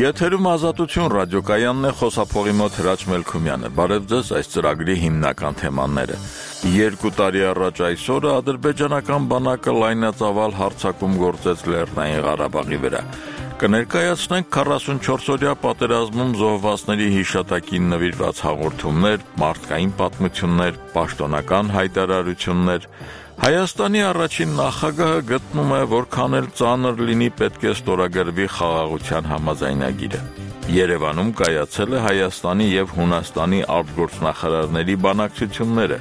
Եթերում Ազատություն ռադիոկայանն է, խոսափողի մոտ Հրաչ Մելքումյանը։ Բարև ձեզ, այս ծրագրի հիմնական թեմաները։ 2 տարի առաջ այսօրը ադրբեջանական բանակը լայնածավալ հարձակում գործեց Լեռնային Ղարաբաղի վրա։ Կներկայացնենք 44-օրյա պատերազմում զոհվածների հիշատակին նվիրված հաղորդումներ, մարդկային պատմություններ, պաշտոնական հայտարարություններ։ Հայաստանի առաջին նախագահը գտնում է, որքան էլ ծանր լինի, պետք է ստորագրվի խաղաղության համաձայնագիրը։ Երևանում կայացել է Հայաստանի և Հունաստանի արտգործնախարարների բանակցությունները։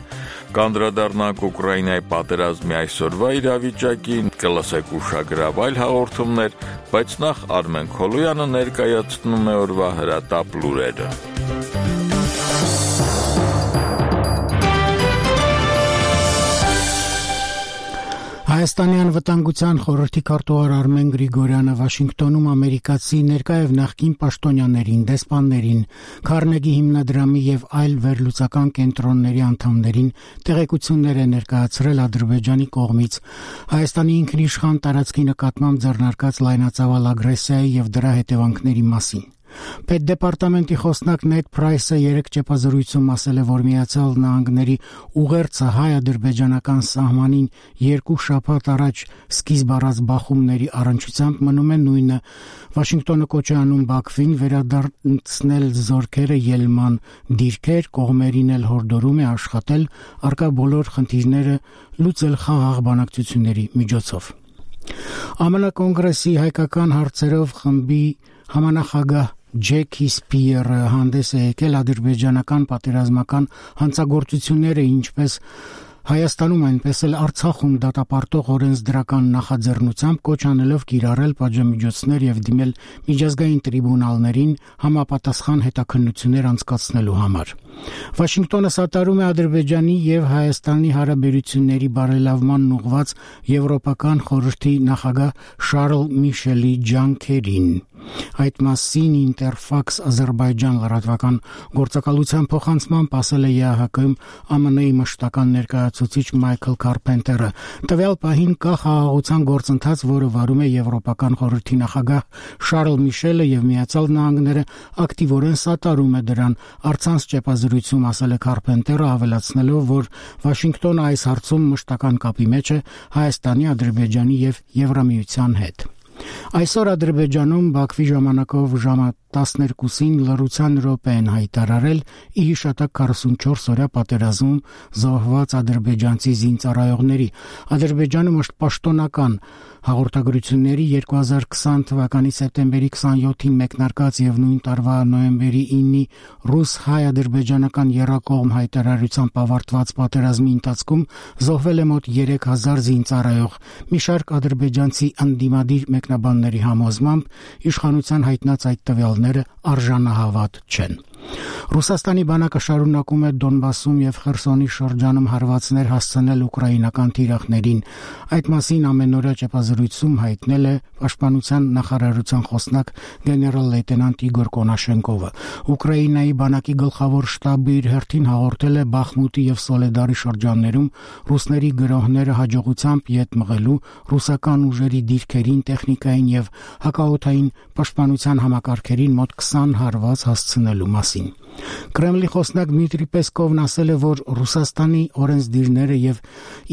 Կանդրադառնանք Ուկրաինայի պատերազմի այսօրվա իրավիճակին, կլսեք ուշագրավ այլ հաղորդումներ, բայց նախ Արմեն Քոլոյանը ներկայացնում է օրվա հրատապ լուրերը։ Հայաստանի անվտանգության խորհրդի քարտուղար Արմեն Գրիգորյանը Վաշինգտոնում ամերիկացի ներկա եւ նախկին պաշտոնյաներին, դեսպաններին, Քարնեգի հիմնադրամի եւ այլ վերլուծական կենտրոնների անդամներին տեղեկություններ է ներկայացրել Ադրբեջանի կողմից Հայաստանի ինքնիշխան տարածքի նկատմամբ ձեռնարկած լայնածավալ ագրեսիայի եւ դրա հետևանքների մասին։ Պետդեպարտամենտի խոսնակ Նեդ Փրայսը երեկ ճեպազրույցում ասել է, որ Միացյալ Նահանգների ուղերձը հայ-ադրբեջանական սահմանին 2 շաբաթ առաջ սկիզբ առած բախումների առնչությամբ մնում է նույնը։ Վաշինգտոնը կոչ է անում Բաքվին վերադարձնել զորքերը ելման դիրքեր, կողմերին էլ հորդորում է աշխատել առկա բոլոր խնդիրները լուծել խաղաղ բանակցությունների միջոցով։ ԱՄՆ կոնգրեսի հայկական հարցերով խմբի համանախագահ Ջեքի Սպիերը հանդես է եկել ադրբեջանական պատերազմական հանցագործությունները ինչպես Հայաստանում այնպես էլ Արցախում դատապարտող օրենսդրական նախաձեռնությամբ կոչ անելով կիրառել պատժամիջոցներ եւ դիմել միջազգային տրիբունալներին համապատասխան հետաքննություններ անցկացնելու համար։ Վաշինգտոնը սատարում է Ադրբեջանի եւ Հայաստանի հարաբերությունների բարելավմանն ուղղված Եվրոպական խորհրդի նախագահ Շարլ Միշելի ջանքերին։ Այդ մասին Interfax Ադրբեջան լրատվական գործակալության փոխանցմամբ ասել է ԵԱՀԿ-ում ԱՄՆ-ի մշտական ներկայացուցիչ Մայքլ Կարպենտերը։ Տվյալ պահին կա խաղաղության գործընթաց, որը վարում է Եվրոպական խորհրդի նախագահ Շարլ Միշելը եւ Միացյալ Նահանգները ակտիվորեն սատարում է դրան։ Առցանց ճեպազրույցում ասել է Կարպենտերը, ավելացնելով, որ Վաշինգտոնը այս հարցում մշտական կապի մեջ է Հայաստանի, Ադրբեջանի եւ Եվրամիության հետ։ Այսօր Ադրբեջանում Բաքվի ժամանակով ժամը 12-ին լռության րոպե են հայտարարել ի հիշատակ 44-օրյա պատերազմում զոհված ադրբեջանցի զինծառայողների։ Ադրբեջանը պաշտոնական հաղորդագրությունների 2020 թվականի սեպտեմբերի 27-ին մեկնարկած եւ նույն տարվա նոյեմբերի 9-ի ռուս-հայ-ադրբեջանական եռակողմ հայտարարությամբ ավարտված պատերազմի ընթացքում զոհվել է մոտ 3000 զինծառայող։ Մի շարք ադրբեջանցի ընդդիմադիր մեկնաբանների համոզմամբ իշխանության հայտնած այդ տվյալները արժանահավատ չեն։ Ռուսաստանի բանակը շարունակում է Դոնբասում եւ Խերսոնի շրջանում հարվածներ հասցնել ուկրաինական թիրախներին։ Այդ մասին ամենօրյա ճեպազրույցում հայտնել է Պաշտպանության նախարարության խոսնակ գեներալ լեյտենանտ Իգոր Կոնաշենկովը։ Ուկրաինայի բանակի գլխավոր շտաբը իր հերթին հաղորդել է Բախմուտի եւ Սոլեդարի շրջաններում ռուսների գրոհները հաջողությամբ ետ մղելու, ռուսական ուժերի դիրքերին, տեխնիկային եւ հակաօդային պաշտպանության համակարգերին մոտ 20 հարված հասցնելու մասին։ Կրեմլի խոսնակ Դմիտրի Պեսկովն ասել է, որ Ռուսաստանի օրենսդիրները եւ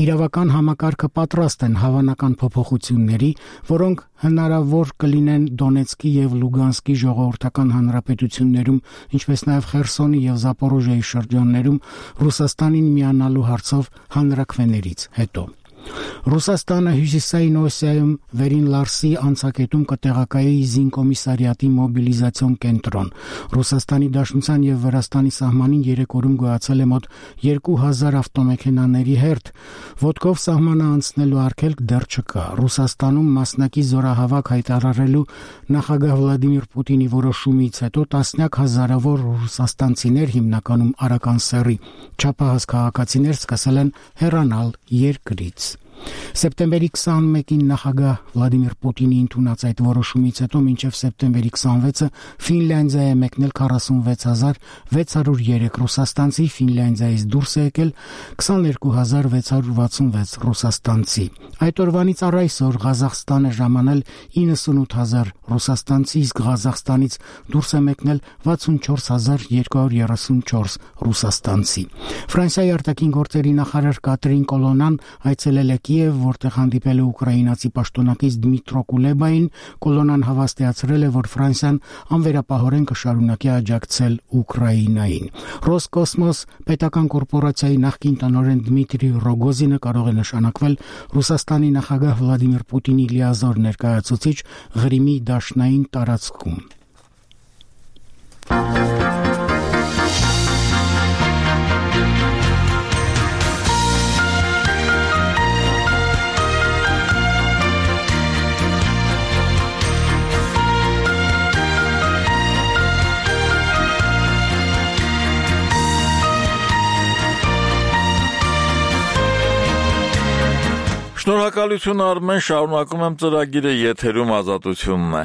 իրավական համակարգը պատրաստ են հավանական փոփոխությունների, որոնք հնարավոր կլինեն Դոնեցկի եւ Լուգանսկի ժողովրդական հանրապետություններում, ինչպես նաեւ Խերսոնի եւ Զապորոժիայի շրջաններում Ռուսաստանին միանալու հարցով հանրաքվեներից հետո։ Ռուսաստանը Հյուսիսային Օսիայում Վերին Լարսի անցակետում կտեղակայի զինկոմիսարիատի մոբիլիզացիոն կենտրոն։ Ռուսաստանի Դաշնության եւ Վրաստանի սահմանին 3 օրում գոյացել է մոտ 2000 ավտոմեքենաների հերթ։ Ոտքով սահմանը անցնելու արգելք դեռ չկա։ Ռուսաստանում մասնակի զորահավաք հայտարարելու նախագահ Վլադիմիր Պուտինի որոշումից հետո տասնյակ հազարավոր ռուսաստանցիներ, հիմնականում արական սեռի չափահաս քաղաքացիներ, սկսել են հեռանալ երկրից։ Սեպտեմբերի 21-ին նախագահ Վլադիմիր Պուտինի ընդունած այդ որոշումից հետո մինչև սեպտեմբերի 26-ը Ֆինլանդիա է մեկնել 46603 ռուսաստանցի, Ֆինլանդիայից դուրս է եկել 22666 ռուսաստանցի։ Այդ օրվանից առ այսօր Ղազախստանը ժամանել 98000 ռուսաստանցի, իսկ Ղազախստանից դուրս է մեկնել 64234 ռուսաստանցի։ Ֆրանսիայի արտաքին գործերի նախարար Կատրին Կոլոնան այցելել է Կիև, որտեղ հանդիպել է ուկրաինացի պաշտոնակից Դմիտրո Կուլեբային։ Կոլոնան հավաստիացրել է, որ Ֆրանսիան անվերապահորեն կշարունակի աջակցել Ուկրաինային։ Ռոսկոսմոս պետական կորպորացիայի նախկին տնօրեն Դմիտրի Ռոգոզինը կարող է նշանակվել Ռուսաստանի նախագահ Վլադիմիր Պուտինի լիազոր ներկայացուցիչ Ղրիմի դաշնային տարածքում։ Շնորհակալություն Արմեն, շարունակում եմ ծրագիրը, եթերում Ազատությունն է։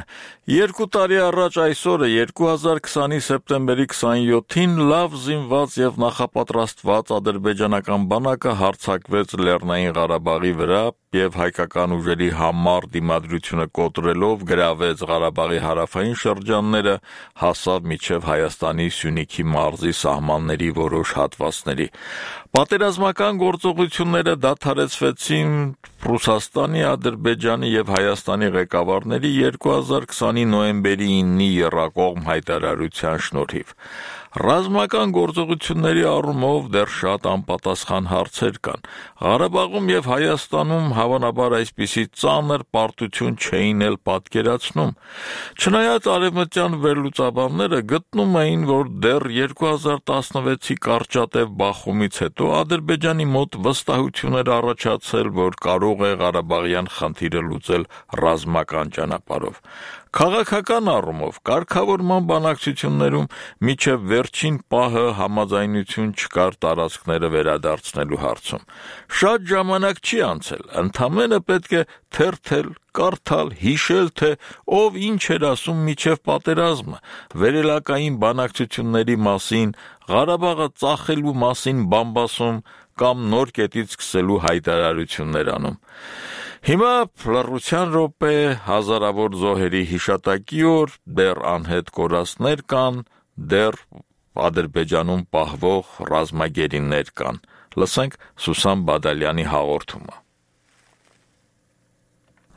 2 տարի առաջ այսօրը 2020-ի սեպտեմբերի 27-ին լավ զինված եւ նախապատրաստված ադրբեջանական բանակը հարձակվեց Լեռնային Ղարաբաղի վրա եւ հայկական ուժերի համառ դիմադրությունը կոտրելով գրավեց Ղարաբաղի հարավային շրջանները, հասավ մինչև Հայաստանի Սյունիքի մարզի սահմանների որոշ հատվածների։ Պատերազմական գործողությունները դադարեցվեցին Ռուսաստանի, Ադրբեջանի եւ Հայաստանի ղեկավարների 2020-ի նոյեմբերի 9-ի եռակողմ հայտարարության շնորհիվ։ Ռազմական գործողությունների առումով դեռ շատ անպատասխան հարցեր կան։ Ղարաբաղում եւ Հայաստանում հավանաբար այսպիսի ծանր պարտություն չէին էլ պատկերացնում։ Չնայած արևմտյան վերլուծաբանները գտնում էին, որ դեռ 2016-ի կարճատև բախումից հետո Ադրբեջանի մոտ վստահություն էր առաջացել, որ կարող է Ղարաբաղյան խնդիրը լուծել ռազմական ճանապարհով։ Քաղաքական առումով կարգավորման բանակցություններում մինչև վերջին պահը համաձայնություն չկար տարածքները վերադարձնելու հարցում։ Շատ ժամանակ չի անցել, ընդամենը պետք է թերթել, կարդալ, հիշել, թե ով ինչ էր ասում մինչև պատերազմը, վերելակային բանակցությունների մասին, Ղարաբաղը ծախելու մասին բամբասում կամ նոր կետից սկսելու հայտարարություններ անում։ Հիմա լռության րոպե, հազարավոր զոհերի հիշատակի օր, դեռ անհետ կորածներ կան, դեռ Ադրբեջանում պահվող ռազմագերիներ կան։ Լսենք Սուսան Բադալյանի հաղորդումը։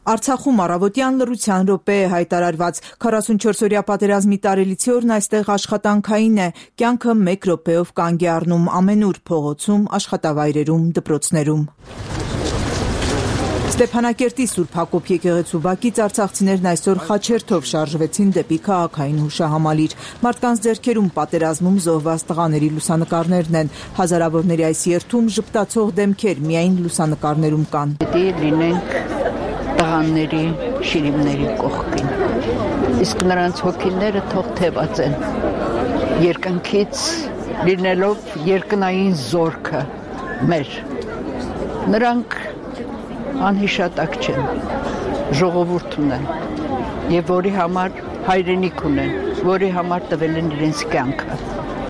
Արցախում առավոտյան լռության րոպե է հայտարարված 44-օրյա պատերազմի տարելիցի օրն այստեղ աշխատանքային է, կյանքը 1 րոպեով կանգ է առնում ամենուր, փողոցում, աշխատավայրերում, դպրոցներում։ Ստեփանակերտի Սուրբ Հակոբ եկեղեցու բակից արցախցիներն այսօր խաչերթով շարժվեցին դեպի քաղաքային հուշահամալիր։ Մարդկանց ձեռքերում պատերազմում զոհված տղաների լուսանկարներն են։ Հազարավորների այս երթում ժպտացող դեմքեր միայն լուսանկարներում կան։ Լինենք տղաների, շիրիմների կողքին։ Իսկ նրանց հոգիները թող թևածեն։ Երկնքից լինելով երկնային զորքը մեր։ Նրանք անհիշատակ չեն, ժողովուրդ ունեն եւ որի համար հայրենիք ունեն, որի համար տվել են իրենց կյանքը։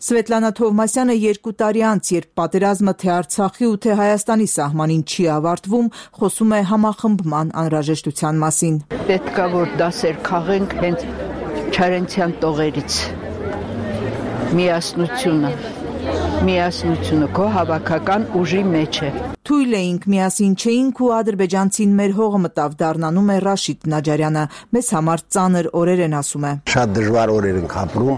Սվետլանա Թովմասյանը 2 տարի անց, երբ պատերազմը թե Արցախի ու թե Հայաստանի սահմանին չի ավարտվում, խոսում է համախմբման անհրաժեշտության մասին։ Պետքա որ դասեր քաղենք հենց Չարենցյան տողերից։ Միասնությունը քո հավաքական ուժի մեջ է։ Թույլ էինք, միասին չէինք ու ադրբեջանցին մեր հողը մտավ, դառնանում է Ռաշիդ Նաջարյանը։ Մեզ համար ծանր օրեր են, ասում է։ Շատ դժվար օրեր ենք ապրում։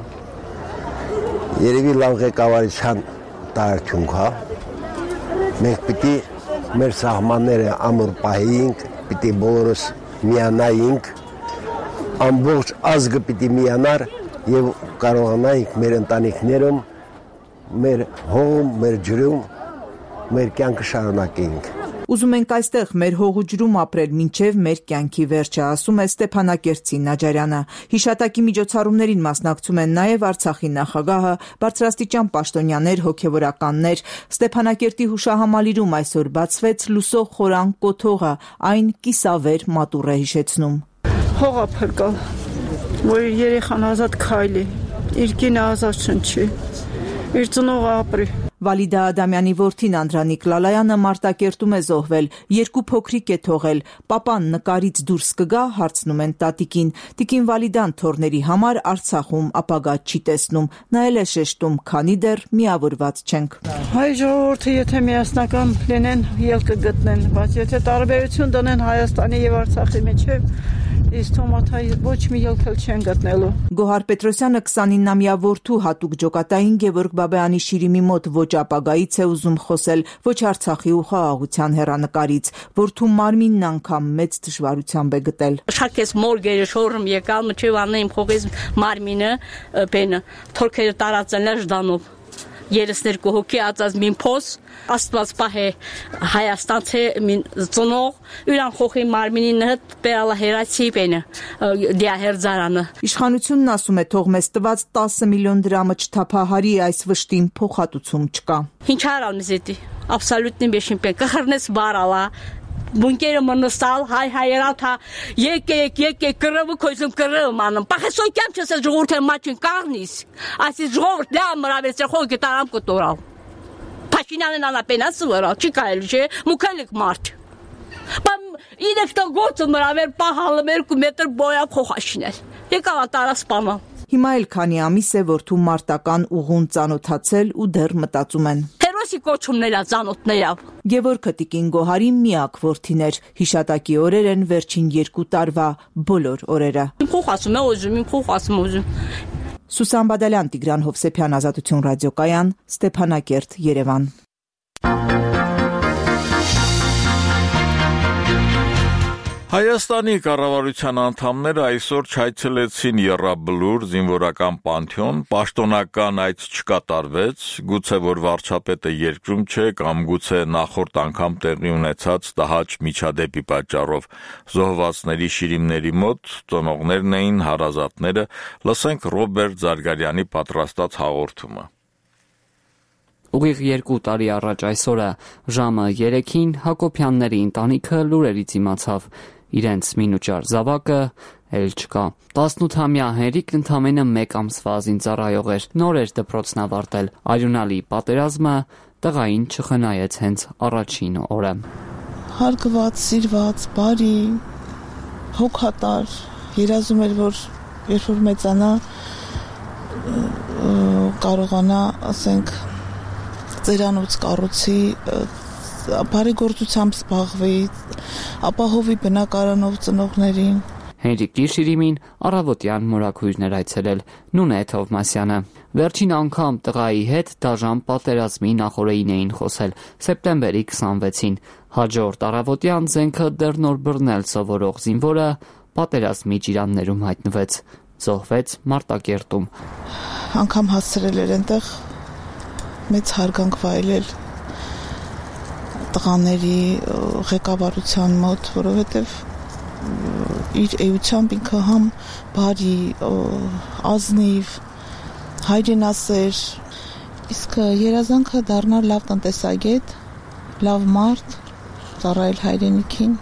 Երևի լավ ղեկավարության տարածք հա։ Մենք պիտի մեր սահմանները ամուր պահեինք, պիտի բոլորս միանայինք, ամբողջ ազգը պիտի միանար եւ կարողանայինք մեր ընտանիքներում, մեր հողում, մեր ջրում, մեր կյանքը շարունակեինք։ Ուզում ենք այստեղ մեր հողու ջրում ապրել մինչև մեր կյանքի վերջը, ասում է Ստեփանակերտցի Նաջարյանը։ Հիշատակի միջոցառումներին մասնակցում են նաև Արցախի նախագահը, բարձրաստիճան պաշտոնյաներ, հոգևորականներ։ Ստեփանակերտի հուշահամալիրում այսօր բացվեց լուսող խորան կոթողը, այն կիսավեր մատուռ է հիշեցնում։ Հողը փրկալ, որ երեխան ազատ քայլի, իր կինը ազատ շնչի, իր ծնողը ապրի։ Վալիդա Ադամյանի որդին Անդրանիկ Լալայանը Մարտակերտում է զոհվել, 2 փոքրիկ է թողել, պապան նկարից դուրս կգա, հարցնում են տատիկին։ Տիկին Վալիդան թորների համար Արցախում ապագա չի տեսնում, նա էլ է շեշտում, քանի դեռ միավորված չենք։ Հայ ժողովուրդը եթե միասնական լինեն, ելքը գտնեն, բայց եթե տարբերություն դնեն Հայաստանի եւ Արցախի միջեւ, իսկ թոմաթայ ոչ մի ելք չեն գտնելու։ Գոհար Պետրոսյանը 29-ամյա որդու հատուկ ջոկատային Գևորգ Բաբայանի շիրիմի մոտ ոչ ապագայից է ուզում խոսել, ոչ Արցախի ու խաղաղության հեռանկարից, որդու մարմինն անգամ մեծ դժվարությամբ է գտել։ Շակես մորգերը շորում եկալ, մչև անեմ խողես մարմինը, բենը, թորքերը տարածել է ժդանով։ 32 հոգի ածած մին փոս, աստված պահե Հայաստանցե մին ծնող, յուրան խոխի մարմինին հետ բերալա հերացի բենը, դիահերձարանը։ Իշխանությունն ասում է թող մեզ տված 10 միլիոն դրամը չթափահարի, այս վշտին փոխհատուցում չկա։ Ինչ արալ մեզ էդի, абсолютно բեշին պեն, կխրնես բարալա, Bunkerը մնստալ, հայերալ թա, եկեք, կրվը կոյզում կրվը անում, պախեսոյ կյամ չես է ժողորդ է մաչին կաղնիս, այսի ժողորդ լյա մրավեց է խոյ գետարամ կտորալ, պաշինանեն անապենասը վրալ, չի կայել չէ, մուքելիք մարդ, իրեքտա գործը մրավեր պահալը 2 մետր բոյավ խոխաշինել, եկավ ատարա սպանալ։ Հիմա էլ քանի ամիս է որդու մարտական ուղուն ծանոթացել ու դեռ մտածում են։ Հերոսի կոչումներա ծանոթներա։ Գևորգ Տիկին Գոհարի միակ որդին էր, հիշատակի օրեր են վերջին 2 տարվա բոլոր օրերը։ Խոխասում է ուզում։ Սուսան Բադալյան, Տիգրան Հովսեփյան, Ազատություն ռադիոկայան, Ստեփանակերտ, Երևան։ Հայաստանի կառավարության անդամները այսօր չայցելեցին Եռաբլուր զինվորական պանթեոն, պաշտոնական այց չկատարվեց, գուցե որ վարչապետը երկրում չէ կամ գուցե նախորդ անգամ տեղի ունեցած տհաճ միջադեպի պատճառով զոհվածների շիրիմների մոտ ծնողներն էին, հարազատները, լսենք Ռոբերտ Զարգարյանի պատրաստած հաղորդումը։ Ուղիղ 2 տարի առաջ այսօրը ժամը 3-ին Հակոբյանների ընտանիքը լուրերից իմացավ, իրենց մինուճար զավակը էլ չկա։ 18-ամյա Հենրիկն ընդամենը 1 ամսվա զինծառայող էր, նոր էր դպրոցն ավարտել, արյունալի պատերազմը տղային չխնայեց հենց առաջին օրը։ Հարգված, սիրված, բարի, հոգատար, երազում էր, որ երբ որ մեծանա կարողանա, ասենք, ծերանոց կառուցի, բարեգործությամբ զբաղվի, ապահովի բնակարանով ծնողներին։ Հենրիկի շիրիմին առավոտյան մորաքույրներ այցելել Նունե Թովմասյանը։ Վերջին անգամ տղայի հետ դաժան պատերազմի նախօրեին էին խոսել սեպտեմբերի 26-ին։ Հաջորդ առավոտյան զենքը դեռ նոր բռնել սովորող զինվորը պատերազմի ջիրաններում հայտնվեց, զոհվեց Մարտակերտում։ Անգամ հասցրել էր այնտեղ մեծ հարգանք վայելել տղաների ղեկավարության մոտ, որովհետև իր էությամբ ինքը համ բարի, ազնիվ, հայրենասեր, իսկ երազանքը դառնալ լավ տնտեսագետ, լավ մարդ, ծառայել հայրենիքին,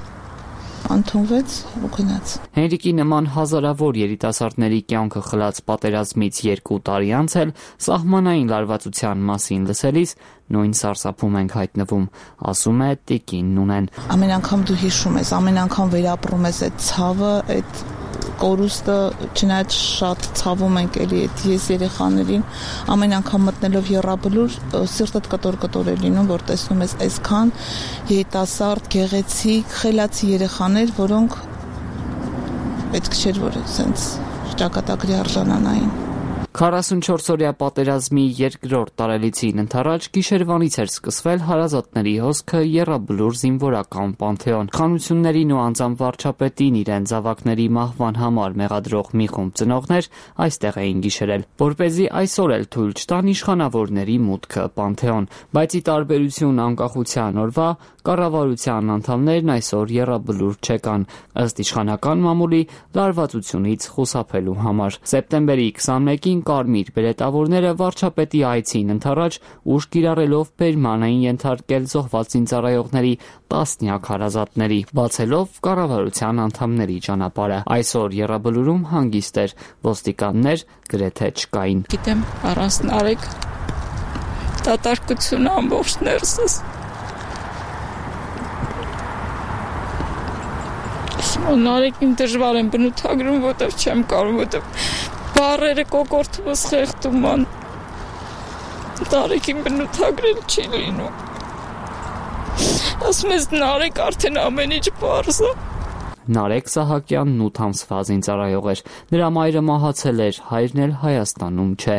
ընդունվեց ու գնաց։ Հենրիկի նման հազարավոր երիտասարդների կյանքը խլած պատերազմից 2 տարի անց էլ սահմանային լարվածության մասին լսելիս նույն սարսափում ենք հայտնվում, ասում է Տիկին Նունեն։ Ամեն անգամ դու հիշում ես, ամեն անգամ վերապրում ես այդ ցավը, այդ կորուստը, չնայած շատ ցավում ենք էլի այդ ես երեխաներին, ամեն անգամ մտնելով Եռաբլուր սիրտդ կտոր է լինում, որ տեսնում ես այսքան երիտասարդ, գեղեցիկ, խելացի երեխաներ, որոնք պետք չէր որ սենց ճակատագրի արժանանային։ 44-օրյա պատերազմի երկրորդ տարելիցին ընթരാճ գիշերվանից էր սկսվել հարազատների հոսքը Եռաբլուր զինվորական պանթեոն։ Խանություններին ու անձամբ վարչապետին իրեն զավակների մահվան համար մեղադրող մի խումբ ծնողներ այստեղ էին գիշերել, որպեսզի այսօր էլ թույլ չտան իշխանավորների մուտքը պանթեոն, բայց ի տարբերություն անկախության օրվա կառավարության անդամներն այսօր եռաբլուր չեկան, ըստ իշխանական մամուլի լարվածությունից խուսափելու համար։ Սեպտեմբերի 21-ին կարմիր բերետավորները վարչապետի այցին ընդառաջ ուժ կիրառելով բերման էին ենթարկել զոհված զինծառայողների տասնյակ հարազատների, բացելով կառավարության անդամների ճանապարհը։ Այսօր եռաբլուրում հանգիստ էր, ոստիկաններ գրեթե չկային։ Գիտեմ, առանց Նարեկ դատարկությունը ամբողջ ներսս։ Նարեկին դժվար եմ բնութագրում, որտեվ չեմ կարող, որտեվ բառերը կոկորտումս խեղդում են։ Նարեկին բնութագրել չի լինում։ Ասում ես Նարեկ արդեն ամեն ինչ պարզ է։ Նարեկ Սահակյանն 8 ամսվա զինծառայող էր։ Նրա մայրը մահացել էր, հայրն էլ Հայաստանում չէ։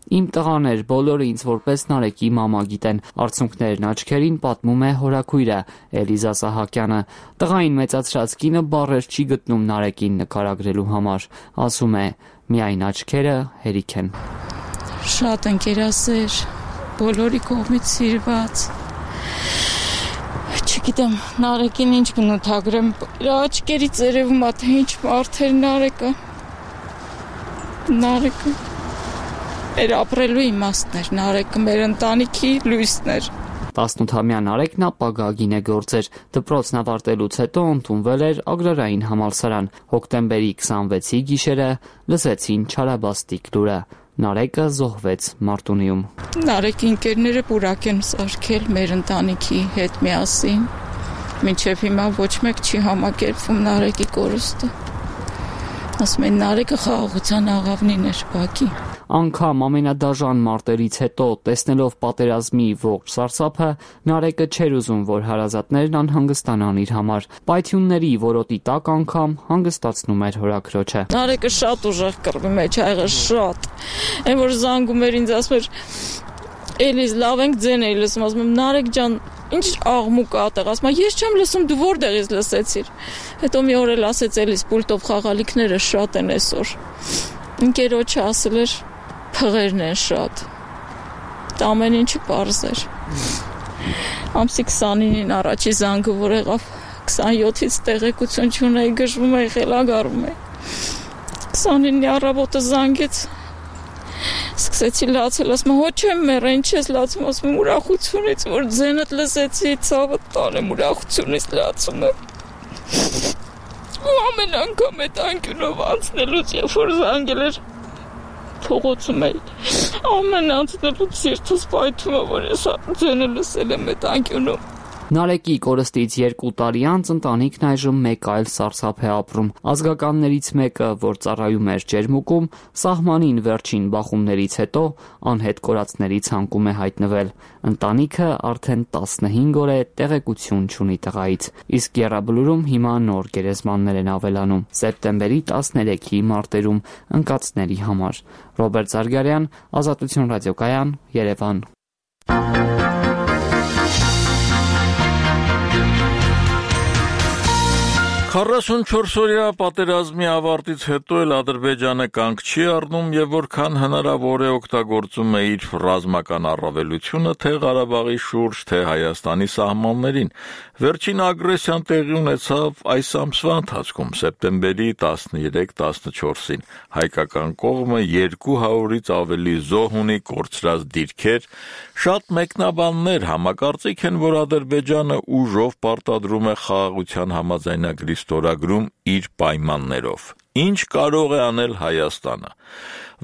Իմ տղաներ, բոլորը ինձ որպես Նարեկի մամա գիտեն, արցունքներն աչքերին պատմում է հորաքույրը Էլիզա Սահակյանը։ Տղային մեծացրած կինը բառեր չի գտնում Նարեկին նկարագրելու համար, ասում է՝ միայն աչքերը հերիք են։ Շատ ընկերասեր, բոլորի կողմից սիրված։ Չգիտեմ, Նարեկին ինչ բնութագրեմ, աչքերի ծերևում է, թե ինչ մարդ էր Նարեկը։ Նարեկը մեր ապրելու իմաստն էր, Նարեկը մեր ընտանիքի լույսն էր։ 18-ամյա Նարեկն ապագա գինեգործ էր, դպրոցն ավարտելուց հետո ընդունվել էր Ագրարային համալսարան։ Հոկտեմբերի 26-ի գիշերը լսեցին Չարաբաստիկ լուրը։ Նարեկը զոհվեց Մարտունիում։ Նարեկի ընկերները պուրակ են սարքել մեր ընտանիքի հետ միասին։ Մինչև հիմա ոչ մեկ չի համակերպվում Նարեկի կորուստը։ Ասում են Նարեկը խաղաղության աղավնին էր Բաքի։ Անգամ ամենադաժան մարտերից հետո, տեսնելով պատերազմի ողջ սարսափը, Նարեկը չէր ուզում, որ հարազատներն անհանգստանան իր համար։ Պայթյունների որոտի տակ անգամ հանգստացնում էր հորաքրոջը։ Նարեկը շատ ուժեղ կռվի մեջ ա եղել, շատ։ Այն որ զանգում էր ինձ, ասում էր Էլիզ, լավ ենք ձեն էի լսում, ասում եմ Նարեկ ջան, ինչ աղմուկ ա այդտեղ, ասում ես չեմ լսում, դու որտեղից լսեցիր։ Հետո մի օր էլ ասեց Էլիզ, պուլտով խաղալիքները շատ են այսօր։ Ընկերոջը ասել էր փղերն են շատ։ Դա ամեն ինչը պարզ էր։ Ամսի 29-ին առաջի զանգը որ եղավ, 27-ից տեղեկություն չունեի, գժվում էի, խելագարվում էի։ 29-ի առավոտը զանգեց, սկսեցի լացել, ասում եմ, հո չեմ մեռա, ինչ ես լացում, ասում եմ, ուրախությունից, որ ձենդ լսեցի, ցավը տանեմ, ուրախությունից լացում եմ։ Ու ամեն անգամ այդ անկյունով անցնելուց, երբ որ զանգել էր, փողոցում էի, ամեն անցնելուց սիրտս պայթում է, որ ես ձենը լսել եմ այդ անկյունում։ Նարեկի կորստից 2 տարի անց ընտանիքն այժմ մեկ այլ սարսափ է ապրում։ Ազգականներից մեկը, որ ծառայում էր Ջերմուկում, սահմանին վերջին բախումներից հետո անհետ կորածների ցանկում է հայտնվել։ Ընտանիքը արդեն 15 օր է տեղեկություն չունի տղայից, իսկ Եռաբլուրում հիմա նոր գերեզմաններ են ավելանում։ Սեպտեմբերի 13-ի մարտերում ընկածների համար։ Ռոբերտ Զարգարյան, Ազատություն ռադիոկայան, Երևան։ 44-օրյա պատերազմի ավարտից հետո էլ Ադրբեջանը կանգ չի առնում եւ որքան հնարավոր է օգտագործում է իր ռազմական առավելությունը թե Ղարաբաղի շուրջ, թե Հայաստանի սահմաններին։ Վերջին ագրեսիան տեղի ունեցավ այս ամսվա ընթացքում, սեպտեմբերի 13-14-ին։ Հայկական կողմը 200-ից ավելի զոհ ունի, կորցրած դիրքեր։ Շատ մեկնաբաններ համակարծիք են, որ Ադրբեջանը ուժով պարտադրում է խաղաղության համաձայնագրի ստորագրում իր պայմաններով։ Ինչ կարող է անել Հայաստանը։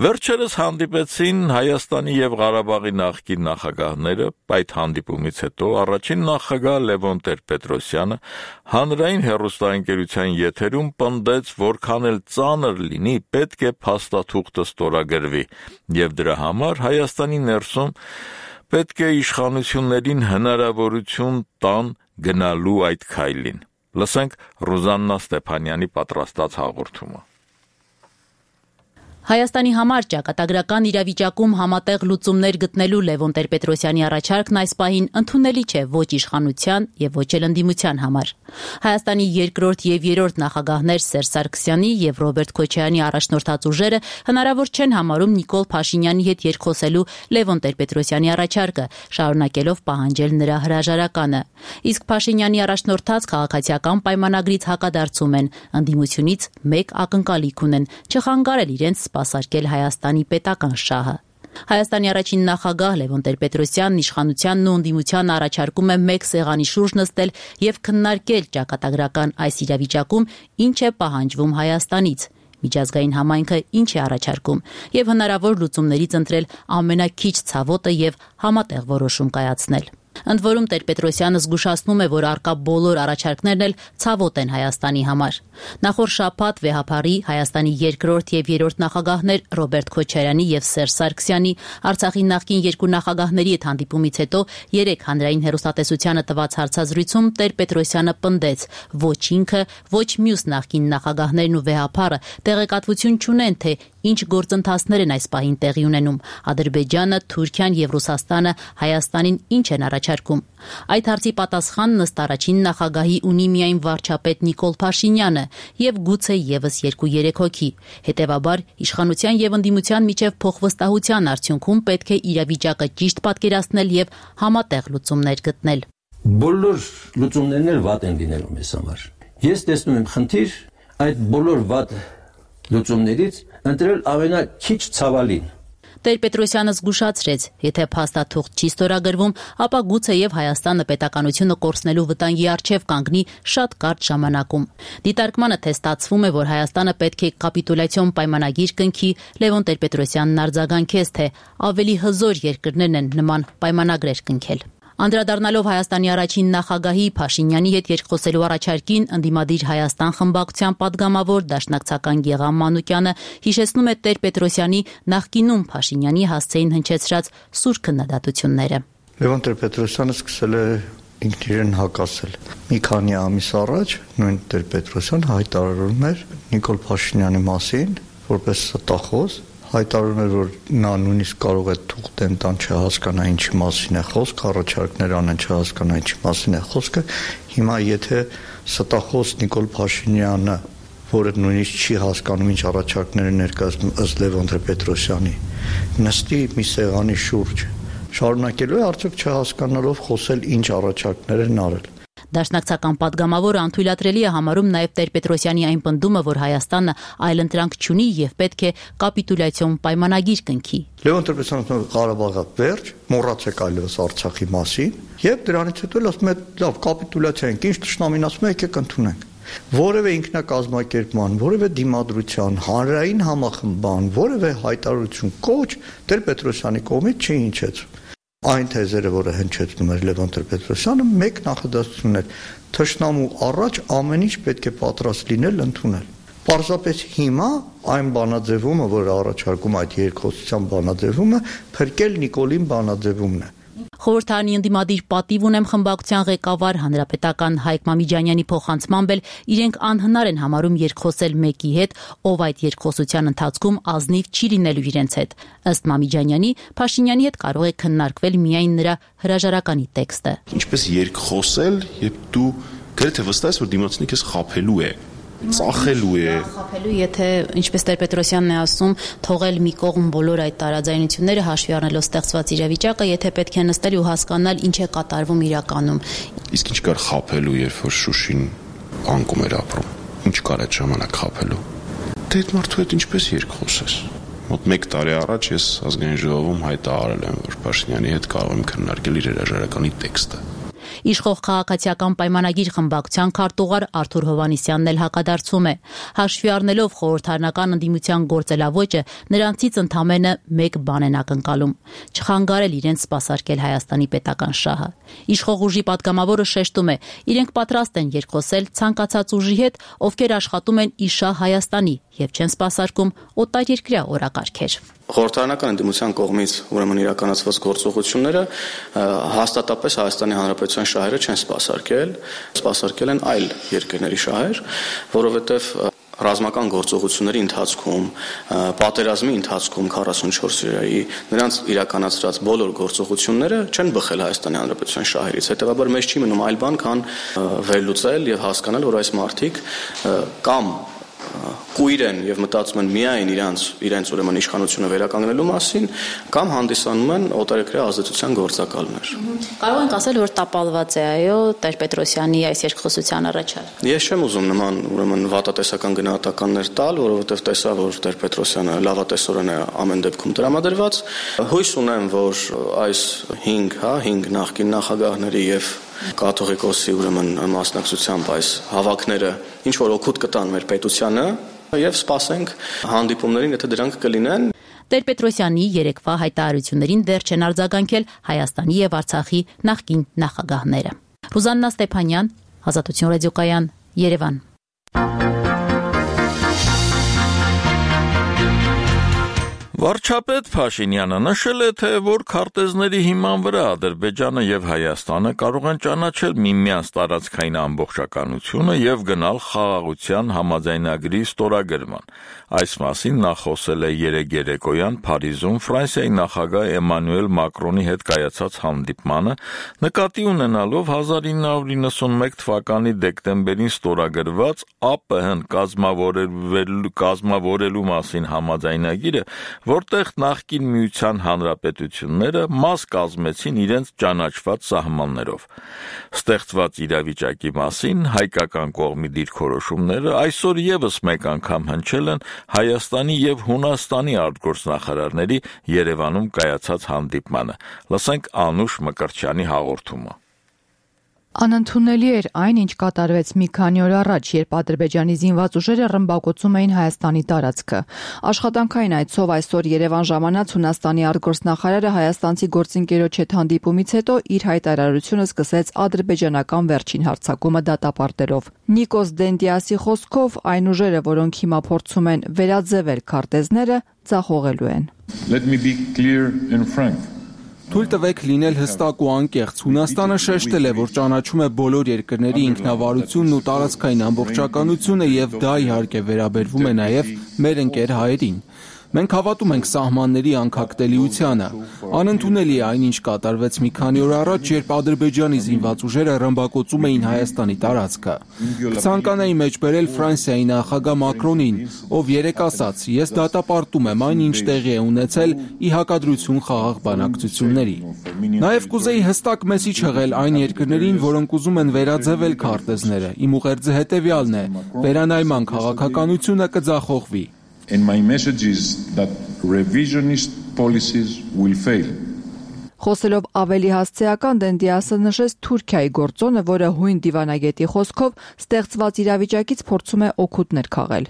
Վերջերս հանդիպեցին Հայաստանի եւ Ղարաբաղի նախկին նախագահները, այդ հանդիպումից հետո առաջին նախագահ Լևոն Տեր-Պետրոսյանը հանրային հեռուստաընկերության եթերում պնդեց, որքան էլ ծանր լինի, պետք է փաստաթուղթը ստորագրվի, եւ դրա համար Հայաստանի ներսում պետք է իշխանություններին հնարավորություն տան գնալու այդ քայլին։ Լսենք Ռուզաննա Ստեփանյանի պատրաստած հաղորդումը։ Հայաստանի համար ճակատագրական իրավիճակում համատեղ լուծումներ գտնելու Լևոն Տեր-Պետրոսյանի առաջարկն այս պահին ընդունելի չէ ոչ իշխանության եւ ոչ էլ ընդդիմության համար։ Հայաստանի երկրորդ եւ երրորդ նախագահներ Սերժ Սարգսյանի եւ Ռոբերտ Քոչարյանի առաջնորդած ուժերը հնարավոր չեն համարում Նիկոլ Փաշինյանի հետ երկխոսելու Լևոն Տեր-Պետրոսյանի առաջարկը, շարունակելով պահանջել նրա հրաժարականը։ Իսկ Փաշինյանի առաջնորդած քաղաքացիական պայմանագրից հակադարձում են, ընդդիմությունից մեկ ակնկալիք ունեն՝ չխանգարել իրենց սպասարկել Հայաստանի պետական շահը։ Հայաստանի առաջին նախագահ Լևոն Տեր-Պետրոսյանն իշխանությանն ու ընդդիմությանը առաջարկում է մեկ սեղանի շուրջ նստել եւ քննարկել ճակատագրական այս իրավիճակում ինչ է պահանջվում Հայաստանից, միջազգային համայնքը ինչ է առաջարկում եւ հնարավոր լուծումներից ընտրել ամենաքիչ ցավոտը եւ համատեղ որոշում կայացնել։ Ընդ որում Տեր-Պետրոսյանը զգուշացնում է, որ առկա բոլոր առաջարկներն էլ ցավոտ են Հայաստանի համար։ Նախորդ շաբաթ վեհափառի Հայաստանի երկրորդ եւ երրորդ նախագահներ Ռոբերտ Քոչարյանի եւ Սերժ Սարգսյանի, Արցախի նախկին երկու նախագահների հետ հանդիպումից հետո երեք հանրային հեռուստատեսությանը տված հարցազրույցում Տեր-Պետրոսյանը պնդեց, ոչ ինքը, ոչ մյուս նախկին նախագահներն ու վեհափառը տեղեկատվություն չունեն, թե ինչ գործընթացներ են այս պահին տեղի ունենում։ Ադրբեջանը, Թուրքիան եւ Ռուսաստանը Հայաստանին ինչ են առաջարկում։ Այդ հարցի պատասխանն ըստ առաջին նախագահի ունի միայն վարչապետ Նիկոլ Փաշինյանը եւ գուցե եւս 2-3 հոգի։ Հետեւաբար իշխանության եւ ընդդիմության միջև փոխվստահության արդյունքում պետք է իրավիճակը ճիշտ պատկերացնել եւ համատեղ լուծումներ գտնել։ Բոլոր լուծումներն էլ վատ են լինելու մեզ համար։ Ես տեսնում եմ խնդիր այդ բոլոր վատ լուծումներից ընտրել ամենաքիչ ցավալին։ Տեր-Պետրոսյանը զգուշացրեց, եթե փաստաթուղթ չի ստորագրվում, ապա գուցեև Հայաստանը պետականությունը կորցնելու վտանգի առջև կանգնի շատ կարճ ժամանակում։ Դիտարկմանը թե ստացվում է, որ Հայաստանը պետք է կապիտուլյացիոն պայմանագիր կնքի, Լևոն Տեր-Պետրոսյանն արձագանքեց, թե ավելի հզոր երկրներն են նման պայմանագրեր կնքել։ Անդրադառնալով Հայաստանի առաջին նախագահի Փաշինյանի հետ երկխոսելու առաջարկին, ընդդիմադիր Հայաստան խմբակցության падգամավոր դաշնակցական Գեղամ Մանուկյանը հիշեցնում է Տեր-Պետրոսյանի նախկինում Փաշինյանի հասցեին հնչեցրած սուր քննադատությունները։ Լևոն Տեր-Պետրոսյանը սկսել է ինքն իրեն հակասել։ Մի քանի ամիս առաջ նույն Տեր-Պետրոսյանը հայտարարում էր Նիկոլ Փաշինյանի մասին որպես ստախոս, հայտարարում էր, որ նա նույնիսկ կարող է թուղթեն տան չհասկանա ինչի մասին է խոսքը, առաջարկներ անեն չհասկանա ինչի մասին է խոսքը։ Հիմա եթե ստախոս Նիկոլ Փաշինյանը, որը նույնիսկ չի հասկանում ինչ առաջարկներ են ներկայացնում ըստ Լևոն Տեր-Պետրոսյանի, նստի մի սեղանի շուրջ, շարունակելու է արդյոք չհասկանալով խոսել ինչ առաջարկներ են արել։ Դաշնակցական падգամավորը անթույլատրելի է համարում նաև Տեր-Պետրոսյանի այն պնդումը, որ Հայաստանը այլընտրանք չունի եւ պետք է կապիտուլյացիոն պայմանագիր կնքի։ Լևոն Տեր-Պետրոսյանը Ղարաբաղը վերջ, մոռացեք այլևս Արցախի մասին եւ դրանից հետո ասում է լավ կապիտուլյացիա ենք, ինչ ճշտամին ասում է եկեք ընդունենք։ Որևէ ինքնակազմակերպման, որևէ դիմադրության, հանրային համախմբան, որևէ հայտարարություն կոչ Տեր-Պետրոսյանի կողմից չի հնչեցում։ Այն թեզերը, որը հնչեցնում էր Լևոն Տեր-Պետրոսյանը, մեկ նախադասությունն էր. թշնամու առաջ ամեն ինչ պետք է պատրաստ լինել ընդունել։ Պարզապես հիմա այն բանաձևումը, որը առաջարկում այդ երկխոսության բանաձևումը, փրկել Նիկոլին բանաձևումն է։ Խորհրդարանի ընդդիմադիր պատիվ ունեմ խմբակցության ղեկավար հանրապետական Հայկ Մամիջանյանի փոխանցմամբ էլ իրենք անհնար են համարում երկխոսել մեկի հետ, ով այդ երկխոսության ընթացքում ազնիվ չի լինելու իրենց հետ։ Ըստ Մամիջանյանի, Փաշինյանի հետ կարող է քննարկվել միայն նրա հրաժարականի տեքստը։ Ինչպես երկխոսել, երբ դու գրեթե վստահ ես, որ դիմացինը քեզ խաբելու է, ծախելու է։ Խաբելու, եթե ինչպես Տեր-Պետրոսյանն է ասում, թողել մի կողմ բոլոր այդ տարաձայնությունները հաշվի առնելով ստեղծված իրավիճակը, եթե պետք է նստել ու հասկանալ ինչ է կատարվում իրականում։ Իսկ ինչ կար խաբելու, երբ որ Շուշին անկում էր ապրում։ Ինչ կար այդ ժամանակ խաբելու։ Դե այդ մարդու հետ ինչպես երկխոսես։ Մոտ 1 տարի առաջ ես ազգային ժողովում հայտարարել եմ, որ Փաշինյանի հետ կարող եմ քննարկել իր հրաժարականի տեքստը։ Իշխող քաղաքացիական պայմանագիր խմբակցության քարտուղար Արթուր Հովհաննիսյանն էլ հակադարձում է։ Հաշվի առնելով խորհրդարանական ընդդիմության գործելավոճը, նրանցից ընդամենը մեկ բան են ակնկալում՝ չխանգարել իրենց սպասարկել Հայաստանի պետական շահը։ Իշխող ուժի падգամավորը շեշտում է, իրենք պատրաստ են երկխոսել ցանկացած ուժի հետ, ովքեր աշխատում են իշահ Հայաստանի եւ չեն սպասարկում օտարերկրյա օրակարգեր։ Խորհրդարանական ընդդիմության կողմից ուրեմն իրականացված գործողությունները հաստատապես Հայաստանի Հանրապետության շահերը չեն սպասարկել են այլ երկրների շահեր, որովհետև ռազմական գործողությունների ընթացքում, պատերազմի ընթացքում 44 օրերի նրանց իրականացրած բոլոր գործողությունները չեն բխել Հայաստանի Հանրապետության շահերից։ Հետևաբար մեզ չի մնում այլ բան, քան վերլուծել եւ հասկանալ, որ այս մարդիկ կամ կույր են եւ մտածում են միայն իրենց ուրեմն իշխանությունը վերականգնելու մասին, կամ հանդիսանում են օտարերկրյա ազդեցության գործակալներ։ Կարող ենք ասել, որ տապալված է այո Տեր-Պետրոսյանի այս երկխոսության առաջարկ։ Ես չեմ ուզում նման ուրեմն վատատեսական գնահատականներ տալ, որովհետեւ տեսա, որ Տեր-Պետրոսյանը լավատեսորեն է ամեն դեպքում տրամադրված։ Հույս ունեմ, որ այս 5 նախկին նախագահների եւ կաթողիկոսի ուրեմն մասնակցությամբ այս հավաքները ինչ որ օգուտ կտան մեր պետությանը եւ սպասենք հանդիպումներին, եթե դրանք կլինեն։ Տեր-Պետրոսյանի երեկվա հայտարարություններին դեռ չեն արձագանքել Հայաստանի եւ Արցախի նախկին նախագահները։ Ռուզաննա Ստեփանյան, Ազատություն ռադիոկայան, Երևան։ Վարչապետ Փաշինյանը նշել է, թե որ քարտեզների հիման վրա Ադրբեջանը եւ Հայաստանը կարող են ճանաչել միմյանց տարածքային ամբողջականությունը եւ գնալ խաղաղության համաձայնագրի ստորագրման։ Այս մասին նա խոսել է երեկոյան Փարիզում Ֆրանսիայի նախագահ Էմանուել Մակրոնի հետ կայացած հանդիպմանը, նկատի ունենալով 1991 թվականի դեկտեմբերին ստորագրված ԱՊՀ-ն կազմավորելու մասին համաձայնագիրը, որտեղ նախկին միության հանրապետությունները մաս կազմեցին իրենց ճանաչված սահմաններով։ Ստեղծված իրավիճակի մասին հայկական կողմի դիրքորոշումները այսօր եւս մեկ անգամ հնչել են Հայաստանի եւ Հունաստանի արտգործնախարարների Երևանում կայացած հանդիպմանը։ Լսենք Անուշ Մկրտչյանի հաղորդումը։ Անընդունելի էր այն, ինչ կատարվեց մի քանի օր առաջ, երբ Ադրբեջանի զինված ուժերը ռմբակոծում էին Հայաստանի տարածքը։ Աշխատանքային այցով այսօր Երևան ժամանած Հունաստանի արտգործնախարարը հայաստանցի գործընկերոջ հետ հանդիպումից հետո իր հայտարարությունը սկսեց ադրբեջանական վերջին հարձակումը դատապարտելով։ Նիկոս Դենդիասի խոսքով այն ուժերը, որոնք հիմա փորձում են վերաձևել քարտեզները, ձախողելու են։ Let me be clear and frank. Թույլ տվեք լինել հստակ ու անկեղծ։ Հունաստանը շեշտել է, որ ճանաչում է բոլոր երկրների ինքնավարությունն ու տարածքային ամբողջականությունը եւ դա իհարկե վերաբերվում է նաեւ մեր ընկեր հայերին։ Մենք հավատում ենք սահմանների անկախտելիությանը։ Անընդունելի է այն, ինչ կատարվեց մի քանի օր առաջ, երբ Ադրբեջանի զինված ուժերը ռմբակոծում էին Հայաստանի տարածքը։ Կցանկանայի մեջբերել Ֆրանսիայի նախագահ Մակրոնին, ով երեկ ասաց. «Ես դատապարտում եմ այն, ինչ տեղի է ունեցել ի հակադրություն խաղաղ բանակցությունների»։ Նաև կուզեի հստակ մեսիջ հղել այն երկրներին, որոնք ուզում են վերաձևել քարտեզները։ Իմ ուղերձը հետևյալն է. վերանայման քաղաքականությունը կձախողվի։ And my message is that revisionist policies will fail. Խոսելով ավելի հասցեական Դենդիասը նշեց Թուրքիայի գործոնը, որը հույն դիվանագետի խոսքով ստեղծված իրավիճակից փորձում է օգուտներ քաղել։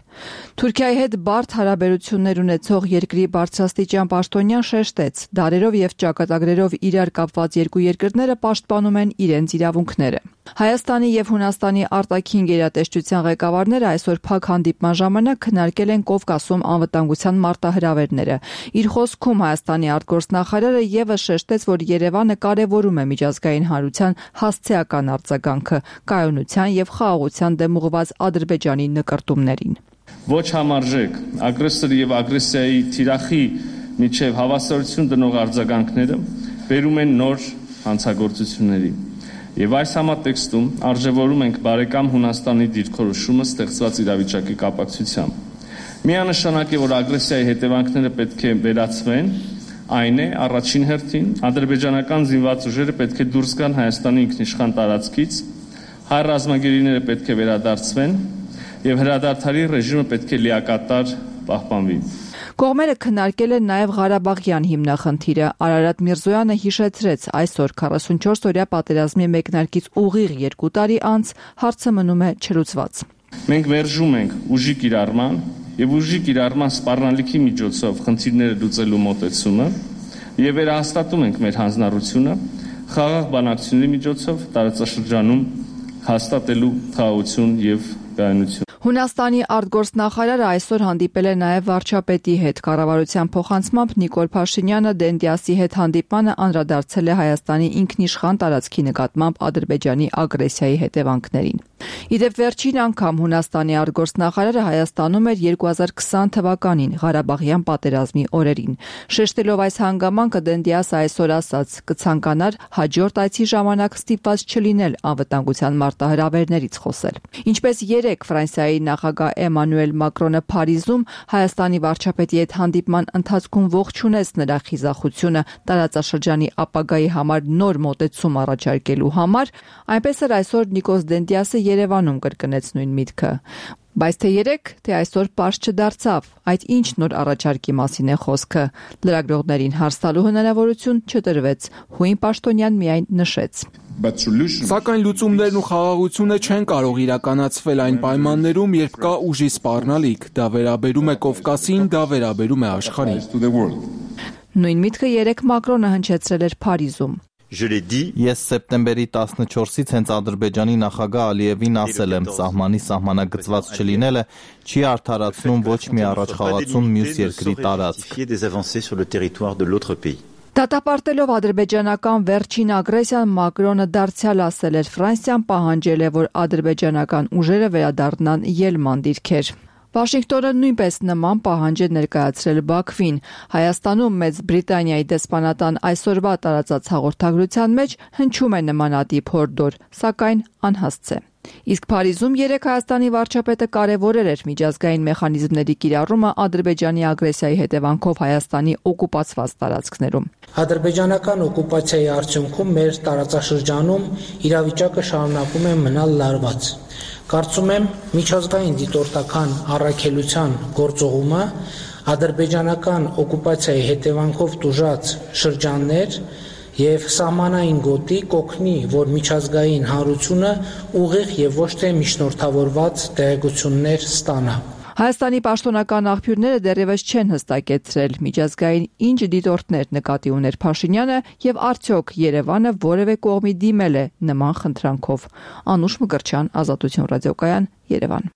Թուրքիայի հետ բարդ հարաբերություններ ունեցող երկրի բարձրաստիճան պաշտոնյան շեշտեց, դարերով եւ ճակատագրերով իրար կապված երկու երկրները պաշտպանում են իրենց իրավունքները։ Հայաստանի եւ Հունաստանի արտաքին գերատեսչության ղեկավարները այսօր փակ հանդիպման ժամանակ քննարկել են Կովկասում անվտանգության մարտահրավերները։ Իր խոսքում Հայաստանի արտգործնախարարը եւս շեշտեց, որ Երևանը կարևորում է միջազգային հանրության հասցեական արձագանքը կայունության եւ խաղաղության դեմ ուղղված Ադրբեջանի նկարտումներին։ Ոչ համարժեք ագրեսորի եւ ագրեսիայի թիրախի միջև հավասարություն դնող արձագանքները բերում են նոր հանցագործությունների։ Եվ այս համատեքստում արժևորում ենք բարեկամ Հունաստանի դիրքորոշումը ստեղծված իրավիճակի կապակցությամբ։ Միանշանակ է, որ ագրեսիայի հետևանքները պետք է վերացվեն, այն է առաջին հերթին ադրբեջանական զինված ուժերը պետք է դուրս գան Հայաստանի ինքնիշխան տարածքից, հայ ռազմագերիները պետք է վերադարձվեն եւ հրադադարի ռեժիմը պետք է լիակատար պահպանվի։ Կողմերը քննարկել են նաև Ղարաբաղյան հիմնախնդիրը։ Արարատ Միրզոյանը հիշեցրեց, այսօր 44-օրյա պատերազմի մեկնարկից ուղիղ 2 տարի անց հարցը մնում է չլուծված։ Մենք մերժում ենք ուժի կիրառման եւ ուժի կիրառման սպառնալիքի միջոցով խնդիրները լուծելու մոտեցումը եւ վերահաստատում ենք մեր հանձնառությունը խաղաղ բանակցությունների միջոցով տարածաշրջանում հաստատելու խաղաղություն եւ կայունություն։ Հունաստանի արտգործնախարարը այսօր հանդիպել է նաև վարչապետի հետ։ Կառավարության փոխանցմամբ Նիկոլ Փաշինյանը Դենդիասի հետ հանդիպմանը անդրադարձել է Հայաստանի ինքնիշխան տարածքի նկատմամբ Ադրբեջանի ագրեսիայի հետևանքներին։ Իդեպ վերջին անգամ Հունաստանի արտգործնախարարը Հայաստանում էր 2020 թվականին Ղարաբաղյան պատերազմի օրերին։ Շեշտելով այս հանգամանքը Դենդիասը այսօր ասաց. կցանկանար հաջորդ այցի ժամանակ ստիպված չլինել անվտանգության մարտահրավերներից խոսել։ Ինչպես երեկ Ֆրանսիայի նախագահ Էմանուել Մակրոնը Փարիզում Հայաստանի վարչապետի հետ հանդիպման ընթացքում ողջունեց նրա խիզախությունը տարածաշրջանի ապագայի համար նոր մոտեցում առաջարկելու համար, այնպես էլ այսօր Նիկոս Դենդիասը Երևանում կրկնեց նույն միտքը։ Բայց թե երեք, թե այսօր պարզ չդարձավ, այդ ինչ նոր առաջարկի մասին է խոսքը։ Լրագրողներին հարց տալու հնարավորություն չտրվեց, Հույն Պաշտոնյան միայն նշեց. Սակայն լուծումներն ու խաղաղությունը չեն կարող իրականացվել այն պայմաններում, երբ կա ուժի սպառնալիք, դա վերաբերում է Կովկասին, դա վերաբերում է աշխարհին։ Նույն միտքը երեք Մակրոնը հնչեցրել էր Փարիզում։ Ես սեպտեմբերի 14-ից հենց Ադրբեջանի նախագահ Ալիևին ասել եմ, սահմանի սահմանագծված չլինելը չի արդարացնում ոչ մի առաջխաղացում մյուս երկրի տարածք։ Դատապարտելով ադրբեջանական վերջին ագրեսիան Մակրոնը դարձյալ ասել էր Ֆրանսիան պահանջել է, որ ադրբեջանական ուժերը վերադառնան ելման դիրքեր։ Վաշինգտոնը նույնպես նման պահանջ է ներկայացրել Բաքվին։ Հայաստանում Մեծ Բրիտանիայի դեսպանատան այսօրվա տարածած հաղորդագրության մեջ հնչում է նմանատիպ հորդոր, սակայն անհասցե։ Իսկ Փարիզում երեկ Հայաստանի վարչապետը կարևորել էր միջազգային մեխանիզմների կիրառումը Ադրբեջանի ագրեսիայի հետևանքով Հայաստանի օկուպացված տարածքներում։ Ադրբեջանական օկուպացիայի արդյունքում մեր տարածաշրջանում իրավիճակը շարունակում է մնալ լարված։ Կարծում եմ միջազգային դիտորդական առաքելության գործողումը ադրբեջանական օկուպացիայի հետևանքով տուժած շրջաններ եւ սահմանային գոտի կօգնի, որ միջազգային հանրությունը ուղիղ եւ ոչ թե միջնորդավորված տեղեկություններ ստանա։ Հայաստանի պաշտոնական աղբյուրները դեռևս չեն հստակեցրել միջազգային ինչ դիտորդներ նկատի ուներ Փաշինյանը եւ արդյոք Երևանը որևէ կողմի դիմել է նման խնդրանքով։ Անուշ Մկրտչյան, Ազատություն ռադիոկայան, Երևան։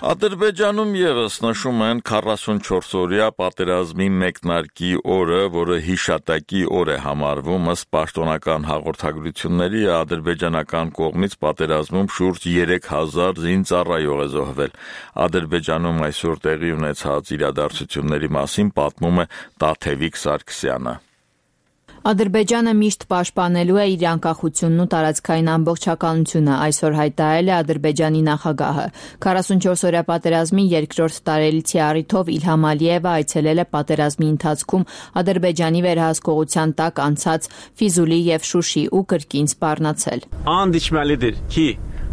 Ադրբեջանում եւս նշում են 44-օրյա պատերազմի մեկնարկի օրը, որը հիշատակի օր է համարվում, ըստ պաշտոնական հաղորդագրությունների ադրբեջանական կողմից պատերազմում շուրջ 3000 զինծառայող է զոհվել։ Ադրբեջանում այսօր տեղի ունեցած իրադարձությունների մասին պատմում է Տաթևիկ Սարգսյանը։ Ադրբեջանը միշտ պաշտպանելու է իր անկախությունն ու տարածքային ամբողջականությունը, այսօր հայտարարել է Ադրբեջանի նախագահը։ 44-օրյա պատերազմի երկրորդ տարելիցի առիթով Իլհամ Ալիևը այցելել է պատերազմի ընթացքում Ադրբեջանի վերահսկողության տակ անցած Ֆիզուլի եւ Շուշի ու կրկին սպառնացել։ Анд içməlidir ki,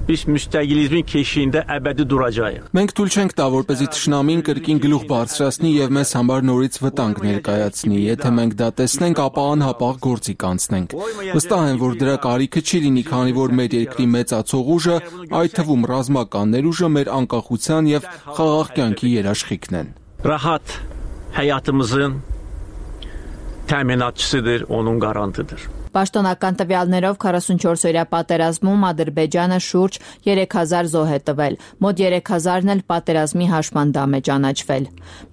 biz müstəqilizmin keşiyində əbədi duracağıq։ Մենք թույլ չենք տա, որպեսզի թշնամին կրկին գլուխ բարձրացնի եւ մեզ համար նորից վտանգ ներկայացնի։ Եթե մենք դա տեսնենք, ապա անհապաղ գործի կանցնենք։ Վստահ եմ, որ դրա կարիքը չի լինի, քանի որ մեր երկրի մեծացող ուժը, այդ թվում ռազմական ներուժը, մեր անկախության եւ խաղաղ կյանքի երաշխիքն են։ Rahat həyatımızın təminatçısıdır, onun qarantıdır։ Պաշտոնական տվյալներով 44-օրյա պատերազմում Ադրբեջանը շուրջ 3000 զոհ է տվել, մոտ 3000-ն էլ պատերազմի հաշմանդամ է ճանաչվել։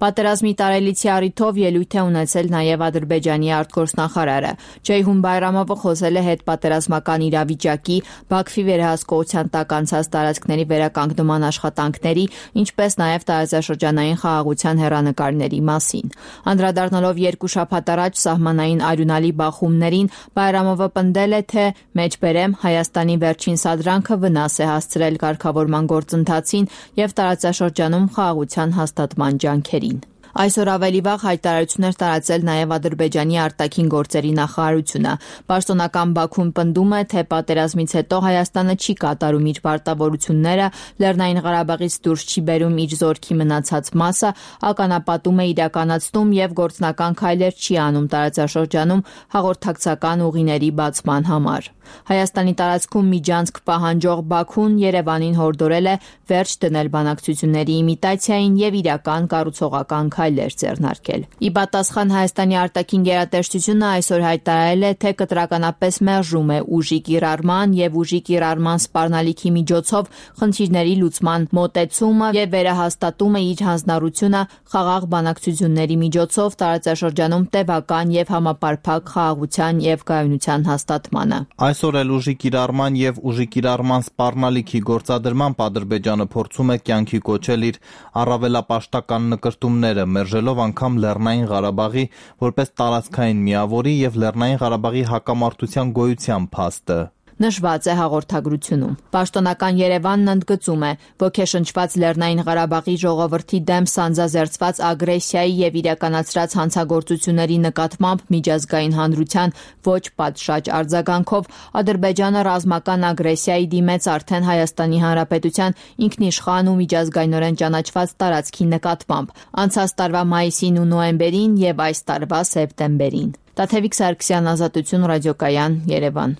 Պատերազմի տարելիցի առիթով ելույթ է ունեցել նաև Ադրբեջանի արտգործնախարարը։ Ceyhun Bayramova խոսել է հետպատերազմական իրավիճակի, Բաքվի վերահսկողության տակ անցած տարածքների վերականգնման աշխատանքների, ինչպես նաև տարածաշրջանային խաղաղության հեռանկարների մասին։ Անդրադառնալով երկու շաբաթ առաջ սահմանային արյունալի բախումներին, Բայրամովը պնդել է, թե մեջբերեմ Հայաստանի վերջին սադրանքը վնաս է հասցրել կարգավորման գործընթացին եւ տարածաշրջանում խաղաղության հաստատման ջանքերին։ Այսօր ավելի վաղ հայտարարություններ տարածել նաև Ադրբեջանի արտաքին գործերի նախարարությունը։ Պաշտոնական Բաքուն պնդում է, թե պատերազմից հետո Հայաստանը չի կատարում իր պարտավորությունները, Լեռնային Ղարաբաղից դուրս չի բերում իր զորքի մնացած մասը, ականապատում է իրականացնում եւ գործնական քայլեր չի անում տարածաշրջանում հաղորդակցական ուղիների բացման համար։ Հայաստանի տարածքում միջանցք պահանջող Բաքուն Երևանին հորդորել է վերջ դնել բանակցությունների իմիտացիային եւ իրական կառուցողական քայլեր ձեռնարկել։ Ի պատասխան Հայաստանի արտաքին գերատեսչությունը այսօր հայտարարել է, թե կտրականապես մերժում է ուժի կիրառման եւ ուժի կիրառման սպառնալիքի միջոցով խնդիրների լուծման մոտեցումը եւ վերահաստատում է իր հանձնառությունը խաղաղ բանակցությունների միջոցով տարածաշրջանում տևական եւ համապարփակ խաղաղության եւ կայունության հաստատմանը։ Այսօր էլ ուժի կիրառման եւ ուժի կիրառման սպառնալիքի գործադրման Ադրբեջանը փորձում է կյանքի կոչել իր առավելապաշտական նկրտումները, մերժելով անգամ Լեռնային Ղարաբաղի որպես տարածքային միավորի եւ Լեռնային Ղարաբաղի հակամարտության գոյության փաստը։ Նշված է հաղորդագրությունում։ Պաշտոնական Երևանն ընդգծում է, ոգեշնչված Լեռնային Ղարաբաղի ժողովրդի դեմ սանձազերծված ագրեսիայի եւ իրականացրած հանցագործությունների նկատմամբ միջազգային հանրության ոչ պատշաճ արձագանքով Ադրբեջանը ռազմական ագրեսիայի դիմեց արդեն Հայաստանի Հանրապետության ինքնիշխան ու միջազգայինորեն ճանաչված տարածքի նկատմամբ անցած տարվա մայիսին ու նոյեմբերին եւ այս տարվա սեպտեմբերին։ Տաթևիկ Սարգսյան, Ազատություն, ռադիոկայան, Երևան։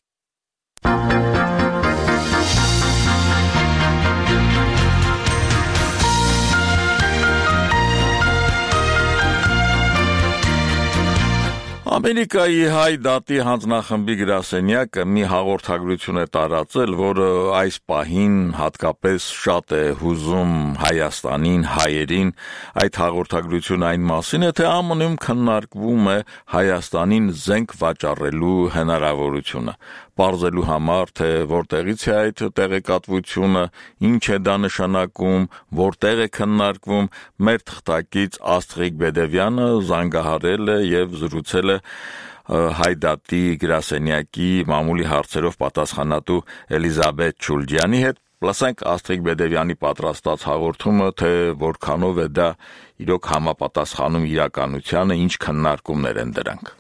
Ամերիկայի հայ դատի հանձնախմբի գրասենյակը մի հաղորդագրություն է տարածել, որը այս պահին հատկապես շատ է հուզում Հայաստանին, հայերին։ Այդ հաղորդագրությունը այն մասին է, թե ԱՄՆ-ում քննարկվում է Հայաստանին զենք վաճառելու հնարավորությունը, պարզելու համար, թե որտեղից է այդ տեղեկատվությունը, ինչ է դա նշանակում, որտեղ է քննարկվում, մեր թղթակից Աստղիկ Բեդևյանը զանգահարել է եւ զրուցել է Հայդատի գրասենյակի մամուլի հարցերով պատասխանատու Էլիզաբեթ Չուլջյանի հետ։ Լսենք Աստղիկ Բեդևյանի պատրաստած հաղորդումը, թե որքանով է դա իրոք համապատասխանում իրականությանը, ինչ քննարկումներ են դրանք։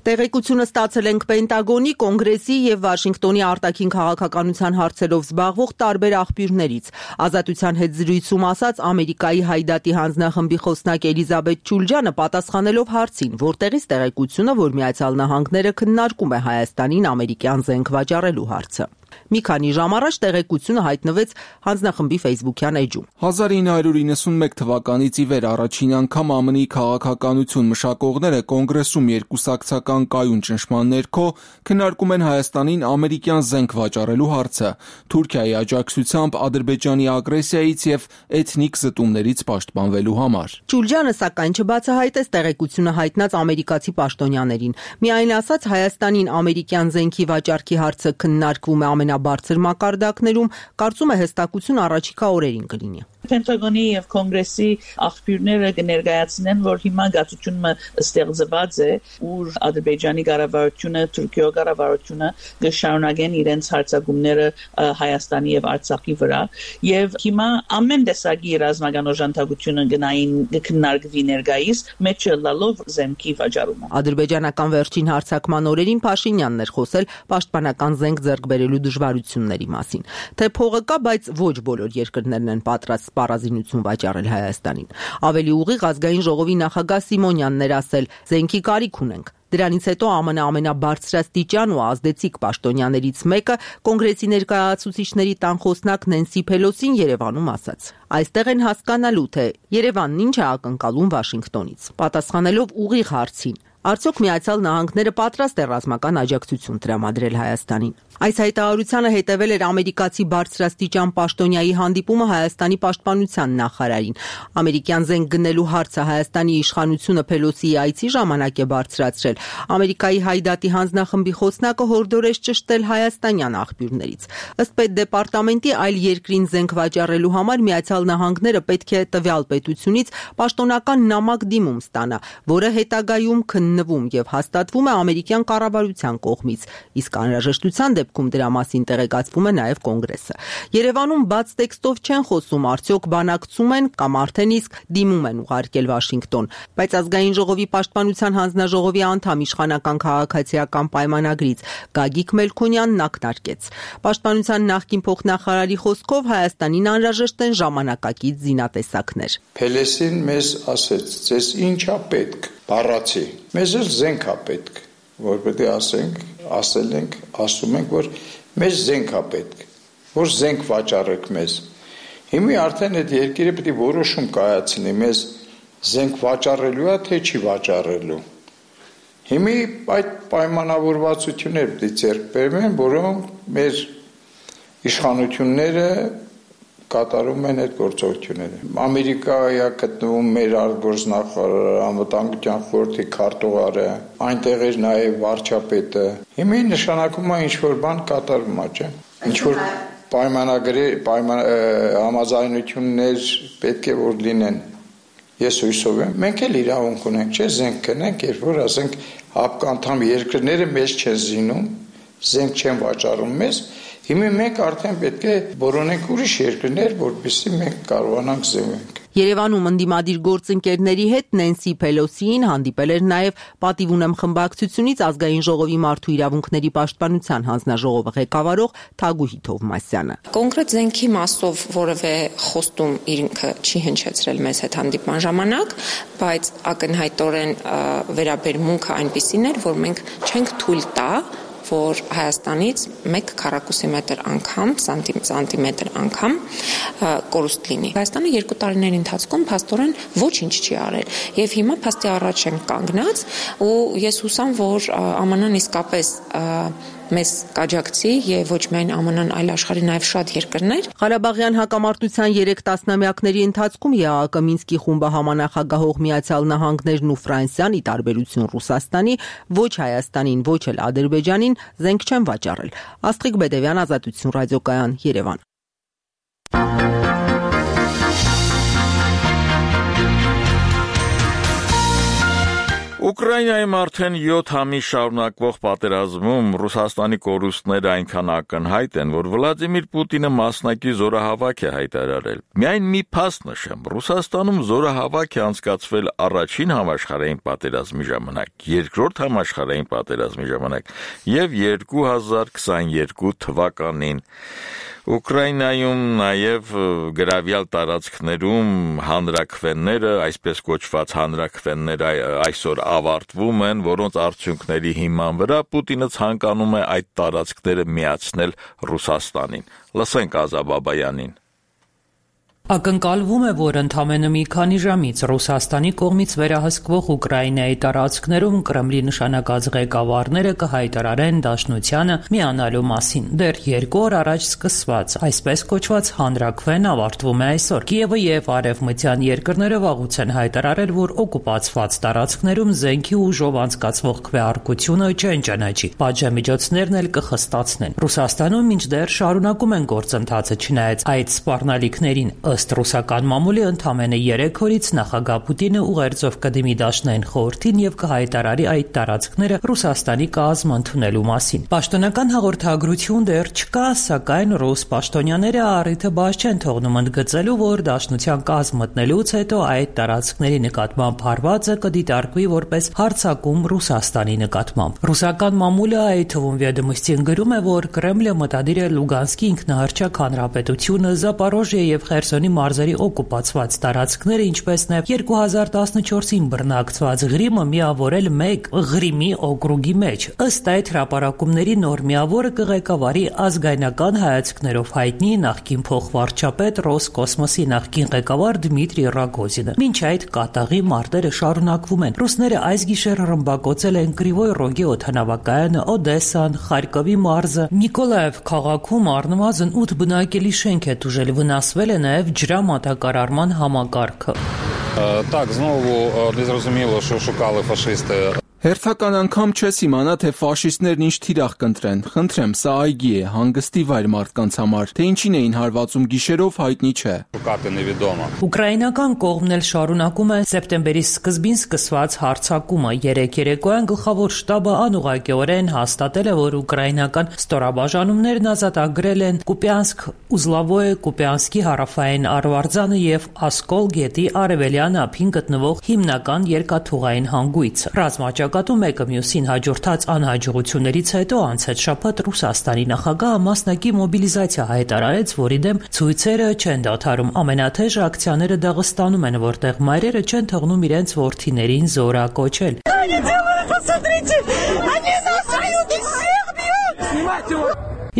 Տեղեկությունը ստացել ենք Պենտագոնի, Կոնգրեսի եւ Վաշինգտոնի արտաքին քաղաքականության հարցերով զբաղվող տարբեր աղբյուրներից։ Ազատության հետ զրույցում ասաց Ամերիկայի Հայդատի հանձնախմբի խոսնակ Էլիզաբեթ Չուլջյանը պատասխանելով հարցին, որտեղից տեղեկությունը, որ Միացյալ Նահանգները քննարկում է Հայաստանին ամերիկյան զենք վաճառելու հարցը։ Մի քանի ժամ առաջ տեղեկությունը հայտնվեց հանձնախմբի Facebook-յան էջում։ 1991 թվականից ի վեր առաջին անգամ ԱՄՆ-ի քաղաքականություն մշակողները կոնգրեսում երկուսակցական կայուն ճնշման ներքո քննարկում են Հայաստանին ամերիկյան զենք վաճառելու հարցը, Թուրքիայի աջակցությամբ Ադրբեջանի ագրեսիայից եւ էթնիկ զտումներից պաշտպանվելու համար։ Չուլջյանը սակայն չբացահայտեց տեղեկությունը հայտնած ամերիկացի պաշտոնյաներին։ Միայն ասաց Հայաստանին ամերիկյան զենքի վաճառքի հարցը քննարկվում է ամենաբարձր մակարդակներում, կարծում է հստակություն առաջիկա օրերին կլինի։ Պենտագոնի եւ Կոնգրեսի աղբյուրները կներկայացնեն, որ հիմա գացությունը ստեղծված է, որ Ադրբեջանի կառավարությունը, Թուրքիայի կառավարությունը կշարունակեն իրենց հարձակումները Հայաստանի եւ Արցախի վրա, եւ հիմա ամեն տեսակի ռազմական օժանդակությունը գնային քննարկվի ներկայիս, մեջը լալով զենքի վաճառումը։ Ադրբեջանական վերջին հարձակման օրերին Փաշինյանն էր խոսել պաշտպանական զենք ձեռք բերելու դժվարությունների մասին, թե փողը կա, բայց ոչ բոլոր երկրներն են պատրաստ սպառազինություն վաճառել Հայաստանին։ Ավելի ուղիղ ազգային ժողովի նախագահ Սիմոնյանն էր ասել, զենքի կարիք ունենք։ Դրանից հետո ԱՄՆ ամենաբարձրաստիճան ու ազդեցիկ պաշտոնյաներից մեկը Կոնգրեսի ներկայացուցիչների տան խոսնակ Նենսի Փելոսին Երևանում ասաց. Այստեղ են հասկանալու, թե Երևանն ինչ է ակնկալում Վաշինգտոնից։ Պատասխանելով ուղիղ հարցին, արդյոք Միացյալ Նահանգները պատրաստ է ռազմական աջակցություն տրամադրել Հայաստանին։ Այս հայտարարությանը հետևել էր ամերիկացի բարձրաստիճան պաշտոնյայի հանդիպումը Հայաստանի պաշտպանության նախարարին։ Ամերիկյան զենք գնելու հարցը Հայաստանի իշխանությունը Փելոսիի այցի ժամանակ է բարձրացրել։ Ամերիկայի Հայդատի հանձնախմբի խոսնակը հորդորեց ճշտել հայաստանյան աղբյուրներից։ Ըստ Պետդեպարտամենտի այլ երկրին զենք վաճառելու համար Միացյալ Նահանգները պետք է տվյալ պետությունից պաշտոնական նամակ դիմում ստանա, որը հետագայում քննվում եւ հաստատվում է ամերիկյան կառավարության կողմից, իսկ անհրաժեշտության դեպքում դրա մասին տեղեկացվում է նաեւ Կոնգրեսը։ Երևանում բաց տեքստով չեն խոսում, արդյոք բանակցում են կամ արդեն իսկ դիմում են ուղարկել Վաշինգտոն, բայց ազգային ժողովի պաշտպանության հանձնաժողովի անդամ իշխանական քաղաքացիական պայմանագրից Գագիկ Մելքոնյանն ակնարկեց։ Պաշտպանության նախկին փոխնախարարի խոսքով Հայաստանին անհրաժեշտ են ժամանակակից զինատեսակներ։ Փելեսին մեզ ասեց, ձեզ ինչա պետք, բառացի։ Մեզ էլ զենք է պետք, որ պետք է ասել ենք, ասում ենք, որ մեզ զենք է պետք, որ զենք վաճառեք մեզ։ Հիմա արդեն այդ երկիրը պետք է որոշում կայացնի, մեզ զենք վաճառելու է, թե չի վաճառելու։ Հիմա այդ պայմանավորվածությունները պետք է ձեռք բերվեն, որոնք մեր իշխանությունները կատարում են այդ գործողությունները։ Ամերիկայի գտնվում մեր արտգործնախարարը, անվտանգության խորհրդի քարտուղարը, այնտեղ էր նաև վարչապետը։ Հիմա նշանակում է ինչ-որ բան կատարվում է, չէ՞։ Ինչ-որ համաձայնություններ պետք է որ լինեն։ Ես հույսով եմ, մենք էլ իրավունք ունենք, չէ՞, զենք կնենք, երբ որ ասենք հապկանդամ երկրները մեզ չեն զինում, զենք չեն վաճառում մեզ, հիմա մենք արդեն պետք է որոնենք ուրիշ երկրներ, որպեսզի մենք կարողանանք զինվենք։ Երևանում ընդդիմադիր գործընկերների հետ Նենսի Փելոսին հանդիպել էր նաև Պատիվ ունեմ խմբակցությունից Ազգային ժողովի մարդու իրավունքների պաշտպանության հանձնաժողովը ղեկավարող Թագուհի Թովմասյանը։ Կոնկրետ զենքի մասով որևէ խոստում ինքը չի հնչեցրել մեզ հետ հանդիպման ժամանակ, բայց ակնհայտորեն վերաբերմունքը այնպիսին էր, որ մենք չենք թույլ տա, որ Հայաստանից 1 քառակուսիմետր անգամ, սանտիմետր անգամ կորուստ լինի։ Հայաստանը 2 տարիների ընթացքում փաստորեն ոչինչ չի արել։ Եվ հիմա փաստի առաջ են կանգնած ու ես հուսամ, որ ԱՄՆ-ն իսկապես մեզ կաջակցի եւ ոչ միայն ԱՄՆ-ն, այլ աշխարհի նաեւ շատ երկրներ։ Ղարաբաղյան հակամարտության 3 տասնամյակների ընթացքում ԵԱՀԿ Մինսկի խումբը համանախագահող Միացյալ Նահանգներն ու Ֆրանսիան՝ ի տարբերություն Ռուսաստանի, ոչ Հայաստանին, ոչ էլ Ադրբեջանին զենք չեն վաճառել։ Աստղիկ Բեդևյան, Ազատություն ռադիոկայան, Երևան։ Ուկրաինայում արդեն 7 ամիս շարունակվող պատերազմում Ռուսաստանի կորուստները այնքան ակնհայտ են, որ Վլադիմիր Պուտինը մասնակի զորահավաք է հայտարարել։ Միայն մի փաստ նշեմ, Ռուսաստանում զորահավաք է անցկացվել առաջին համաշխարհային պատերազմի ժամանակ, երկրորդ համաշխարհային պատերազմի ժամանակ եւ 2022 թվականին։ Ուկրաինայում նաև գրավյալ տարածքներում հանրաքվենները, այսպես կոչված հանրաքվենները այսօր ավարտվում են, որոնց արդյունքների հիման վրա Պուտինը ցանկանում է այդ տարածքները միացնել Ռուսաստանին։ Լսենք Ազա Բաբայանին։ Ակնկալվում է, որ ընդամենը մի քանի ժամից Ռուսաստանի կողմից վերահսկվող Ուկրաինայի տարածքներում Կրեմլի նշանակած ղեկավարները կհայտարարեն Դաշնությանը միանալու մասին։ Դեռ 2 օր առաջ սկսված այսպես կոչված հանրաքվեն ավարտվում է այսօր։ Կիևը եւ արևմտյան երկրները վաղուց են հայտարարել, որ օկուպացված տարածքներում զենքի ուժով անցկացվող քվեարկությունը չեն ճանաչի։ Պատժամիջոցներն էլ կխստացնեն։ Ռուսաստանում մինչդեռ շարունակում են գործընթացը, չնայած այդ սպառնալիքներին ըստ ռուսական մամուլի ընդամենը 3 օրից նախագահ Պուտինը ուղերձով կդիմի Դաշնային խորհրդին եւ կհայտարարի այդ տարածքները Ռուսաստանի կազմ ընդունելու մասին։ Պաշտոնական հաղորդագրություն դեռ չկա, սակայն ռուս պաշտոնյաները առիթը բաց չեն թողնում ընդգծելու, որ Դաշնության կազմ մտնելուց հետո այդ տարածքների նկատմամբ հարվածը կդիտարկվի որպես հարձակում Ռուսաստանի նկատմամբ։ Ռուսական մամուլը այդ թվում Վեդոմստին գրում է, որ Կրեմլը մտադիր է Լուգանսկի ինքնահռչակ հանրապետությունը, Զապորոժիա եւ Խերսոնի մարզերի օկուպացված տարածքները, ինչպես նաև 2014-ին բռնակցված Ղրիմը միավորել մեկ Ղրիմի օկրուգի մեջ։ Ըստ այդ հրապարակումների նոր միավորը կղեկավարի ազգայնական հայացքներով հայտնի նախկին փոխվարչապետ Ռոսկոսմոսի նախկին ղեկավար Դմիտրի Ռագոզինը։ Մինչ այդ կատաղի մարտերը շարունակվում են։ Ռուսները այս գիշեր ռմբակոծել են Կրիվոյ Ռոգի օդանավակայանը, Օդեսան, Խարկովի մարզը, Նիկոլաև քաղաքում առնվազն 8 բնակելի շենք է տուժել, վնասվել է նաև ջրամատակարարման համակարգը։ Так, знову незрозуміло, що шукали фашисти. Հերթական անգամ չես իմանա, թե ֆաշիստներն ինչ թիրախ կընտրեն։ Խնդրեմ, սա այգի է, հանգստի վայր մարդկանց համար, թե ինչին էին հարվածում գիշերով հայտնի չէ։ Ուկրաինական կողմն էլ շարունակում է սեպտեմբերի սկզբին սկսված հարձակումը։ Երեկոյան գլխավոր շտաբը անուղղակիորեն հաստատել է, որ ուկրաինական ստորաբաժանումներն ազատագրել են Կուպյանսկ, Ուզլավոյե, Կուպյանսկի հարավային Արվարձանը եւ Ասկոլ գետի արևելյան ափին գտնվող հիմնական երկաթուղային հանգույցը։ Ռազմաճակատում մեկը մյուսին հաջորդած անհաջողություններից հետո անցած շաբաթ Ռուսաստանի նախագահը մասնակի մոբիլիզացիա հայտարարեց, որի դեմ ցույցերը չեն դադարում։ Ամենաթեժ ակցիաները Դաղստանում են, որտեղ մայրերը չեն թողնում իրենց որդիներին զորակոչել։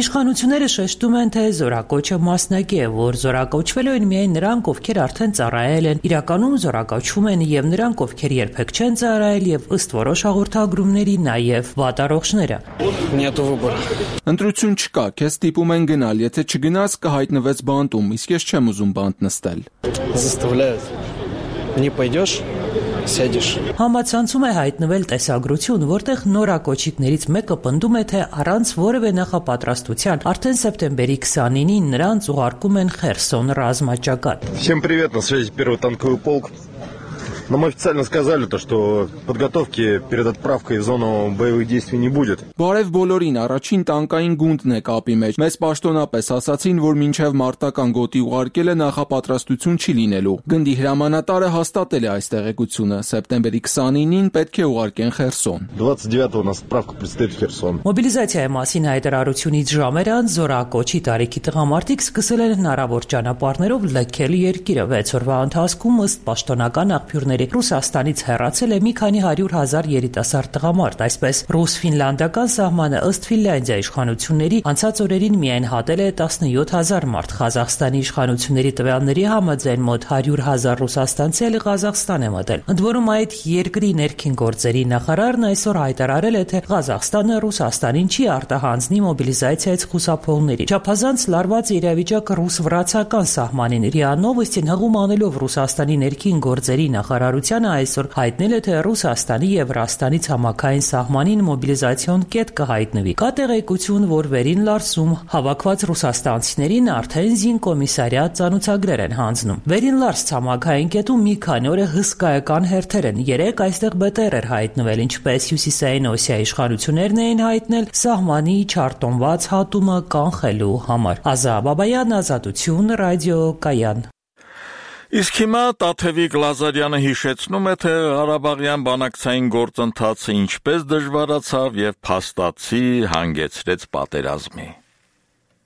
Իշխանությունները շեշտում են, թե զորակոչը մասնակի է, որ զորակոչվելու են միայն նրանք, ովքեր արդեն ծառայել են, իրականում զորակոչվում են եւ նրանք, ովքեր երբեք չեն ծառայել եւ ըստ որոշ հաղորդագրումների նաեւ վատառողջները։ Ընտրություն չկա, քեզ ստիպում են գնալ, եթե չգնաս կհայտնվես բանտում, իսկ ես չեմ ուզում բանտ նստել։ Համացանցում է հայտնվել տեսագրություն, որտեղ նորակոչիկներից մեկը պնդում է, թե առանց որևէ նախապատրաստության արդեն սեպտեմբերի 29-ին նրանց ուղարկում են Խերսոն ռազմաճակատ։ Всем привет, на связи первый танковый полк. Нам официально сказали, что подготовки перед отправкой в зону боевых действий не будет. Բարև բոլորին, առաջին տանկային գունդն է կապի մեջ։ Մեզ պաշտոնապես ասացին, որ մինչև մարտական գոտի ուղարկելը նախապատրաստություն չի լինելու։ Գնդի հրամանատարը հաստատել է այս տեղեկությունը։ Սեպտեմբերի 29-ին պետք է ուղարկեն Խերսոն։ 29-го у нас отправка предстоит в Херсон. Մոբիլիզացիայի մասին հայտարարությունից ժամեր անց զորակոչի տարիքի տղամարդիկ սկսել են հնարավոր ճանապարհներով լքել երկիրը։ 6 օրվա ընթացքում ըստ պաշտոնական աղբյուրների Ռուսաստանից հեռացել է մի քանի 100,000 երիտասարդ տղամարդ, այսպես ռուս-ֆինլանդական սահմանը ըստ Ֆինլանդիա իշխանությունների անցած օրերին միայն հատել է 17,000 մարդ։ Ղազախստանի իշխանությունների տվյալների համաձայն մոտ 100,000 ռուսաստանցի էլ Ղազախստան է մտել։ Ընդ որում այդ երկրի ներքին գործերի նախարարն այսօր հայտարարել է, թե Ղազախստանը Ռուսաստանին չի արտահանձնի մոբիլիզացիայից խուսափողների։ Չափազանց լարված իրավիճակը ռուս-վրացական սահմանին ՌԻԱ Նովոստին հղում անելով Ռուսաստանի ներքին գործերի նախարարությանը այսօր հայտնել է, թե Ռուսաստանի եւ Վրաստանի ցամաքային սահմանին մոբիլիզացիոն կետ կհայտնվի։ Կա տեղեկություն, որ Վերին Լարսում հավաքված ռուսաստանցիներին արդեն զինկոմիսարիատ ծանոթագրեր են հանձնում։ Վերին Լարս ցամաքային կետում մի քանի օր հսկայական հերթեր են։ Երեք այստեղ ԲՏՌ էր հայտնվել, ինչպես Հյուսիսային Օսիայի իշխանություններն էին հայտնել սահմանի չարտոնված հատումը կանխելու համար։ Ազա Բաբայան, Ազատություն, Ռադիո Կայան։ Իսկ հիմա Տաթևիկ Լազարյանը հիշեցնում է, թե Ղարաբաղյան բանակցային գործընթացը ինչպես դժվարացավ եւ փաստացի հանգեցրեց պատերազմի։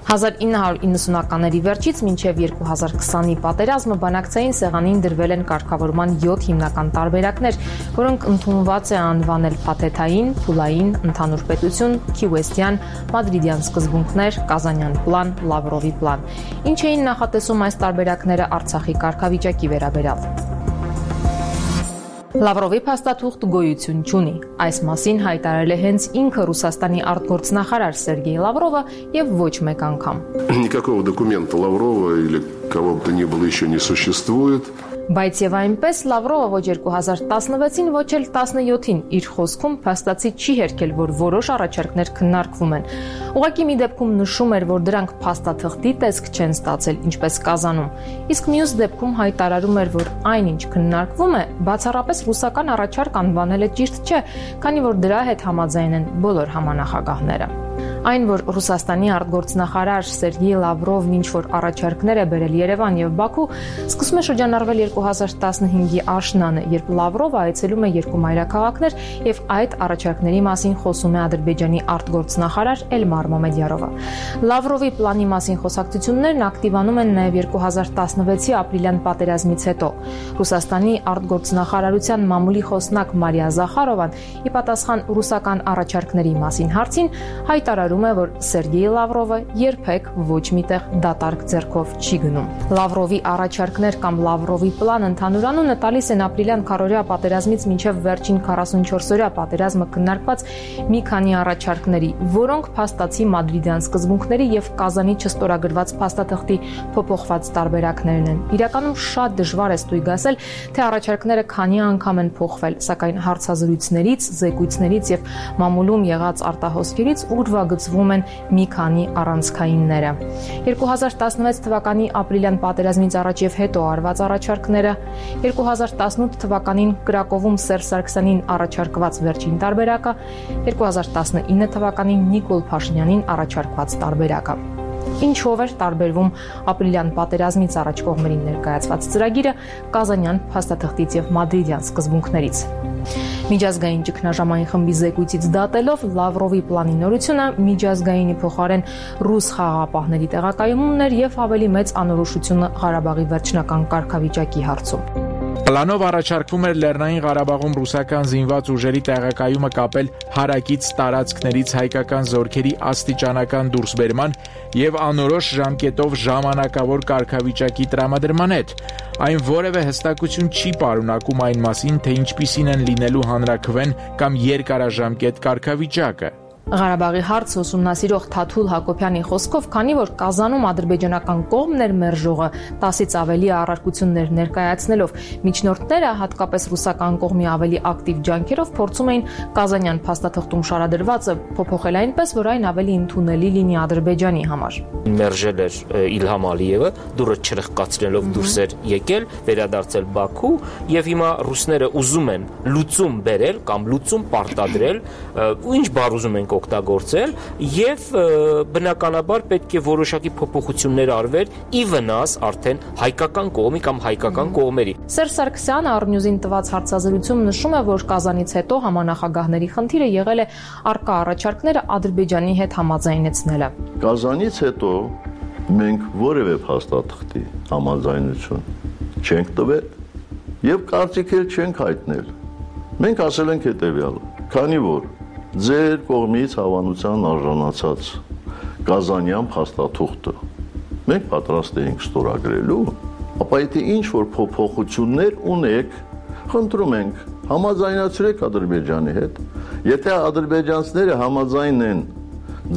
1990-ականների վերջից մինչև 2020-ի պատերազմը բանակցային սեղանին դրվել են կարգավորման 7 հիմնական տարբերակներ, որոնք ընդունված է անվանել փաթեթային, փուլային, ընդհանուր պետություն, քիուեսթյան, մադրիդյան սկզբունքներ, կազանյան պլան, Լավրովի պլան։ Ինչ էին նախատեսում այս տարբերակները Արցախի կարգավիճակի վերաբերյալ։ Լավրովի փաստաթուղթ գոյություն չունի։ Այս մասին հայտարարել է հենց ինքը Ռուսաստանի արտգործնախարար Սերգեյ Լավրովը եւ ոչ մեկ անգամ։ Никакого документа Лаврова или кого бы то ни было еще не существует. Բայց եւ այնպես Լավրովը ոչ 2016-ին, ոչ էլ 17-ին իր խոսքում փաստացի չի հերքել, որ որոշ առաջարկներ քննարկվում են։ Ուղղակի մի դեպքում նշում էր, որ դրանք փաստաթղթի տեսք չեն ստացել, ինչպես Կազանում։ Իսկ մյուս դեպքում հայտարարում էր, որ այնինչ քննարկվում է, բացառապես ռուսական առաջարկ անվանել է ճիշտ չէ, քանի որ դրա հետ համաձայն են բոլոր համանախագահները։ Այն, որ Ռուսաստանի արտգործնախարար Սերգեյ Լավրովն ինչ-որ առաջարկներ է բերել Երևան եւ Բաքու, սկսում է շրջանառվել 2015-ի աշնանը, երբ Լավրովը այցելում է երկու մայրաքաղաքներ եւ այդ առաջարկների մասին խոսում է Ադրբեջանի արտգործնախարար Էլմար Մամեդյարովը։ Լավրովի պլանի մասին խոսակցություններն ակտիվանում են նաեւ 2016-ի ապրիլյան պատերազմից հետո։ Ռուսաստանի արտգործնախարարության մամուլի խոսնակ Մարիա Զախարովան ի պատասխան ռուսական առաջարկների մասին հարցին հայտարարում է, որ Սերգեյ Լավրովը երբեք ոչ միտեղ դատարկ ձեռքով չի գնում։ Լավրովի առաջարկներ կամ Լավրովի պլան ընդհանուր անունը տալիս են ապրիլյան քառօրյա պատերազմից մինչև վերջին 44-օրյա պատերազմը քննարկված մի քանի առաջարկների, որոնք փաստացի մադրիդյան սկզբունքների եւ Կազանի չստորագրված փաստաթղթի փոփոխված տարբերակներն են։ Իրականում շատ դժվար է ստույգ ասել, թե առաջարկները քանի անգամ են փոխվել, սակայն հարցազրույցներից, զեկույցներից եւ մամուլում եղած արտահոսքերից ուրվագծվում են մի քանի առանցքայինները։ 2016 թվականի ապրիլյան պատերազմից առաջ եւ հետո արված առաջարկները, 2018 թվականին Կրակովում Սերժ Սարգսյանին առաջարկված վերջին տարբերակը, 2019 թվականին Նիկոլ Փաշինյանին առաջարկված տարբերակը։ Ինչով էր տարբերվում ապրիլյան պատերազմից առաջ կողմերին ներկայացված ծրագիրը Կազանյան փաստաթղթից եւ մադրիդյան սկզբունքներից։ Միջազգային ճգնաժամային խմբի զեկույցից դատելով Լավրովի պլանի նորությունը միջազգայինի փոխարեն ռուս խաղաղապահների տեղակայումումն էր եւ ավելի մեծ անորոշությունը Ղարաբաղի վերջնական կարգավիճակի հարցում։ Պլանով առաջարկվում էր Լեռնային Ղարաբաղում ռուսական զինված ուժերի տեղակայումը կապել հարակից տարածքներից հայկական զորքերի աստիճանական դուրսբերման եւ անորոշ ժամկետով ժամանակավոր կարգավիճակի տրամադրման հետ։ Այն որևէ հստակություն չի պարունակում այն մասին, թե ինչպիսին են լինելու հանրաքվեն կամ երկարաժամկետ կարգավիճակը։ Ղարաբաղի հարցը ուսումնասիրող Թաթուլ Հակոբյանի խոսքով, քանի որ Կազանում ադրբեջանական կողմն էր մերժողը 10-ից ավելի առարկություններ ներկայացնելով, միջնորդները, հատկապես ռուսական կողմի ավելի ակտիվ ջանքերով փորձում էին կազանյան փաստաթղթում շարադրվածը փոփոխել այնպես, որ այն ավելի ընդունելի լինի Ադրբեջանի համար։ Մերժել էր Իլհամ Ալիևը, դուրը չրխկացնելով դուրս էր եկել, վերադարձել Բաքու, եւ հիմա ռուսները ուզում են լուծում բերել կամ լուծում պարտադրել, ու ինչ բառ ուզում են օգտագործել եւ բնականաբար պետք է որոշակի փոփոխություններ արվեր ի վնաս արդեն հայկական կողմի կամ հայկական կողմերի։ Սերժ Սարգսյանը Արնյուզին տված հարցազրույցում նշում է, որ Կազանից հետո համանախագահների խնդիրը եղել է արկա առաջարկները Ադրբեջանի հետ համաձայնեցնելը։ Կազանից հետո մենք որևէ փաստաթղթի համաձայնություն չենք տվել եւ կարծիք էլ չենք հայտնել։ Մենք ասել ենք հետեւյալը, քանի որ ձեր կողմից հավանության արժանացած Կազանյան փաստաթուղթը մենք պատրաստ էինք ստորագրելու, ապա եթե ինչ-որ փոփոխություններ ունեք, խնդրում ենք համաձայնացրեք Ադրբեջանի հետ, եթե ադրբեջանցիները համաձայն են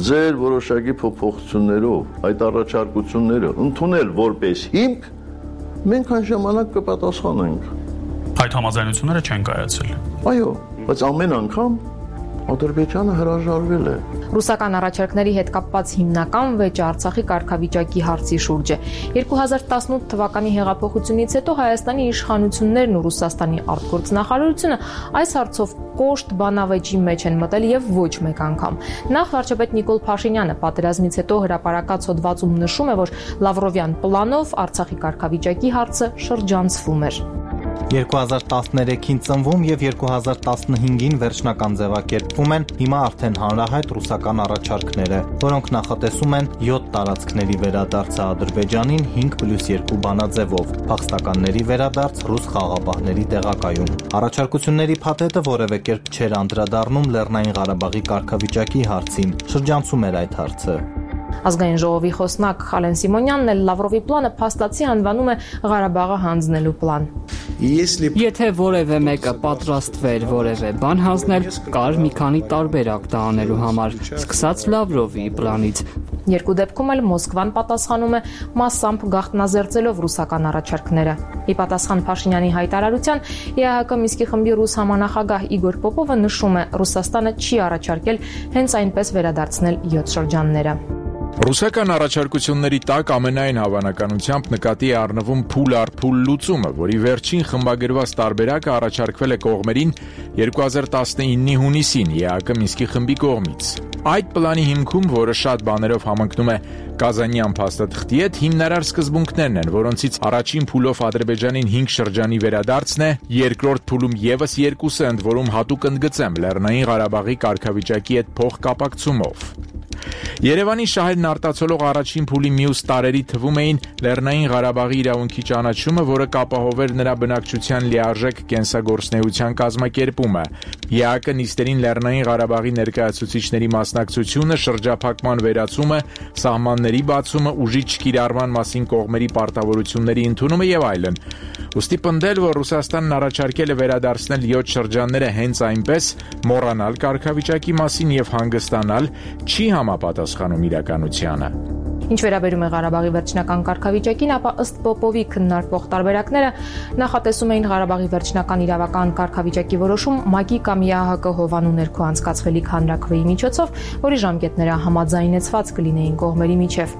ձեր որոշակի փոփոխություններով այդ առաջարկությունները ընդունել որպես հիմք, մենք այն ժամանակ կպատասխանենք։ Այդ համաձայնությունները չեն կայացել։ Այո, բայց ամեն անգամ Ադրբեջանը հրաժարվել է։ Ռուսական առաջարկների հետ կապված հիմնական վեճը Արցախի կարգավիճակի հարցի շուրջ է։ 2018 թվականի հեղափոխությունից հետո Հայաստանի իշխանություններն ու Ռուսաստանի արտգործնախարարությունը այս հարցով կոշտ բանավեճի մեջ են մտել եւ ոչ մեկ անգամ։ Նախ վարչապետ Նիկոլ Փաշինյանը պատերազմից հետո հրապարակած հոդվածում նշում է, որ Լավրովյան պլանով Արցախի կարգավիճակի հարցը շրջանցվում էր։ 2013-ին ծնվում եւ 2015-ին վերջնական ձևակերպվում են հիմա արդեն հանրահայտ ռուսական առաջարկները, որոնք նախատեսում են 7 տարածքների վերադարձը Ադրբեջանին 5+2 բանաձևով, փախստականների վերադարձ, ռուս խաղաղապահների տեղակայում։ Առաջարկությունների փաթեթը որևէ կերպ չէր անդրադառնում Լեռնային Ղարաբաղի կարգավիճակի հարցին, շրջանցում էր այդ հարցը։ Ազգային ժողովի խոսնակ Խալեն Սիմոնյանն էլ Լավրովի պլանը փաստացի անվանում է Ղարաբաղը հանձնելու պլան։ Եթե որևէ մեկը պատրաստվեր որևէ բան հանձնել, կար մի քանի տարբերակ դա անելու համար, սկսած Լավրովի պլանից։ Երկու դեպքում էլ Մոսկվան պատասխանում է մասամբ գաղտնազերծելով ռուսական առաջարկները։ Ի պատասխան Փաշինյանի հայտարարության, ԵԱՀԿ Մինսկի խմբի ռուս համանախագահ Իգոր Պոպովը նշում է, Ռուսաստանը չի առաջարկել հենց այնպես վերադարձնել 7 շրջանները։ Ռուսական առաջարկությունների տակ ամենայն հավանականությամբ նկատի է առնվում փուլ առ փուլ լուծումը, որի վերջին խմբագրված տարբերակը առաջարկվել է կողմերին 2019-ի հունիսին ԵԱՀԿ Մինսկի խմբի կողմից։ Այդ պլանի հիմքում, որը շատ բաներով համընկնում է Կազանյան փաստաթղթի հետ, հիմնարար սկզբունքներն են, որոնցից առաջին փուլով Ադրբեջանին 5 շրջանի վերադարձն է, երկրորդ փուլում եւս 2 ընդ որում հատուկ ընդգծեմ Լեռնային Ղարաբաղի կարգավիճակի հետ փոխկապակցումով։ Երևանի շահերն արտացոլող առաջին փուլի մյուս տարերի թվում էին Լեռնային Ղարաբաղի իրավունքի ճանաչումը, որը կապահովեր նրա բնակչության լիարժեք կենսագործնեության կազմակերպումը, ԵԱՀԿ նիստերին Լեռնային Ղարաբաղի ներկայացուցիչների մասնակցությունը, շրջափակման վերացումը, սահմանների բացումը, ուժի չկիրառման մասին կողմերի պարտավորությունների ընդունումը եւ այլն։ Ուստի պնդել, որ Ռուսաստանն առաջարկել է վերադարձնել 7 շրջանները հենց այնպես, մոռանալ կարգավիճակի մասին եւ հանգստանալ, չի համապատասխանում իրականությանը։ Ինչ վերաբերում է Ղարաբաղի վերջնական կարգավիճակին, ապա ըստ Պոպովի քննարկվող տարբերակները նախատեսում էին Ղարաբաղի վերջնական իրավական կարգավիճակի որոշում ՄԱԿ-ի կամ ԵԱՀԿ հովանու ներքո անցկացվելիք հանրաքվեի միջոցով, որի ժամկետները համաձայնեցված կլինեին կողմերի միջև։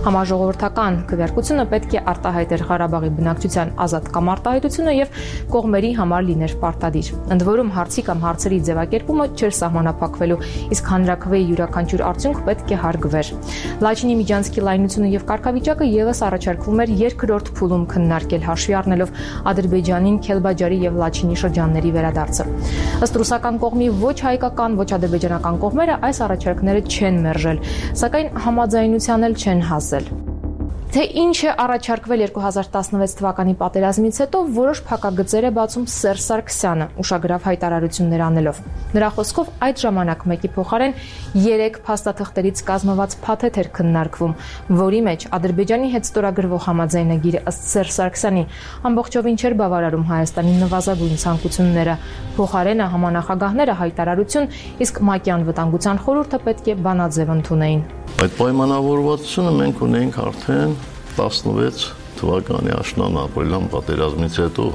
Համաժողովրդական քվեարկությունը պետք է արտահայտեր Ղարաբաղի բնակչության ազատ կամ արտահայտությունը եւ կողմերի համար լիներ պարտադիր։ Ընդ որում հարցի կամ հարցերի ձևակերպումը չէր սահմանափակվելու, իսկ հանրաքվեի յուրաքանչյուր արդյունք պետք է հարգվեր։ Լաչինի միջանցքի լայնությունը եւ կարգավիճակը եւս առաջարկվում էր երկրորդ փուլում քննարկել, հաշվի առնելով Ադրբեջանին Քելբաջարի եւ Լաչինի շրջանների վերադարձը։ Ըստ ռուսական կողմի ոչ հայկական, ոչ ադրբեջանական կողմերը այս առաջարկները չեն մերժել, սակայն համաձայնության էլ չեն հասել։ Թե ինչ է առաջարկվել 2016 թվականի պատերազմից հետո, որոշ փակագծեր է բացում Սերժ Սարգսյանը, ուշագրավ հայտարարություններ անելով։ Նրա խոսքով այդ ժամանակ մեկի փոխարեն 3 փաստաթղթերից կազմված փաթեթ էր քննարկվում, որի մեջ Ադրբեջանի հետ ստորագրվող համաձայնագիրը ըստ Սերժ Սարգսյանի ամբողջովին չէր բավարարում Հայաստանի նվազագույն ցանկությունները։ Փոխարենը համանախագահները հայտարարություն, իսկ ՄԱԿ-ի անվտանգության խորհուրդը պետք է բանաձև ընդունեին։ Այդ պայմանավորվածությունը մենք ունենք արդեն 16 թվականի աշնան ապրիլյան պատերազմից հետո։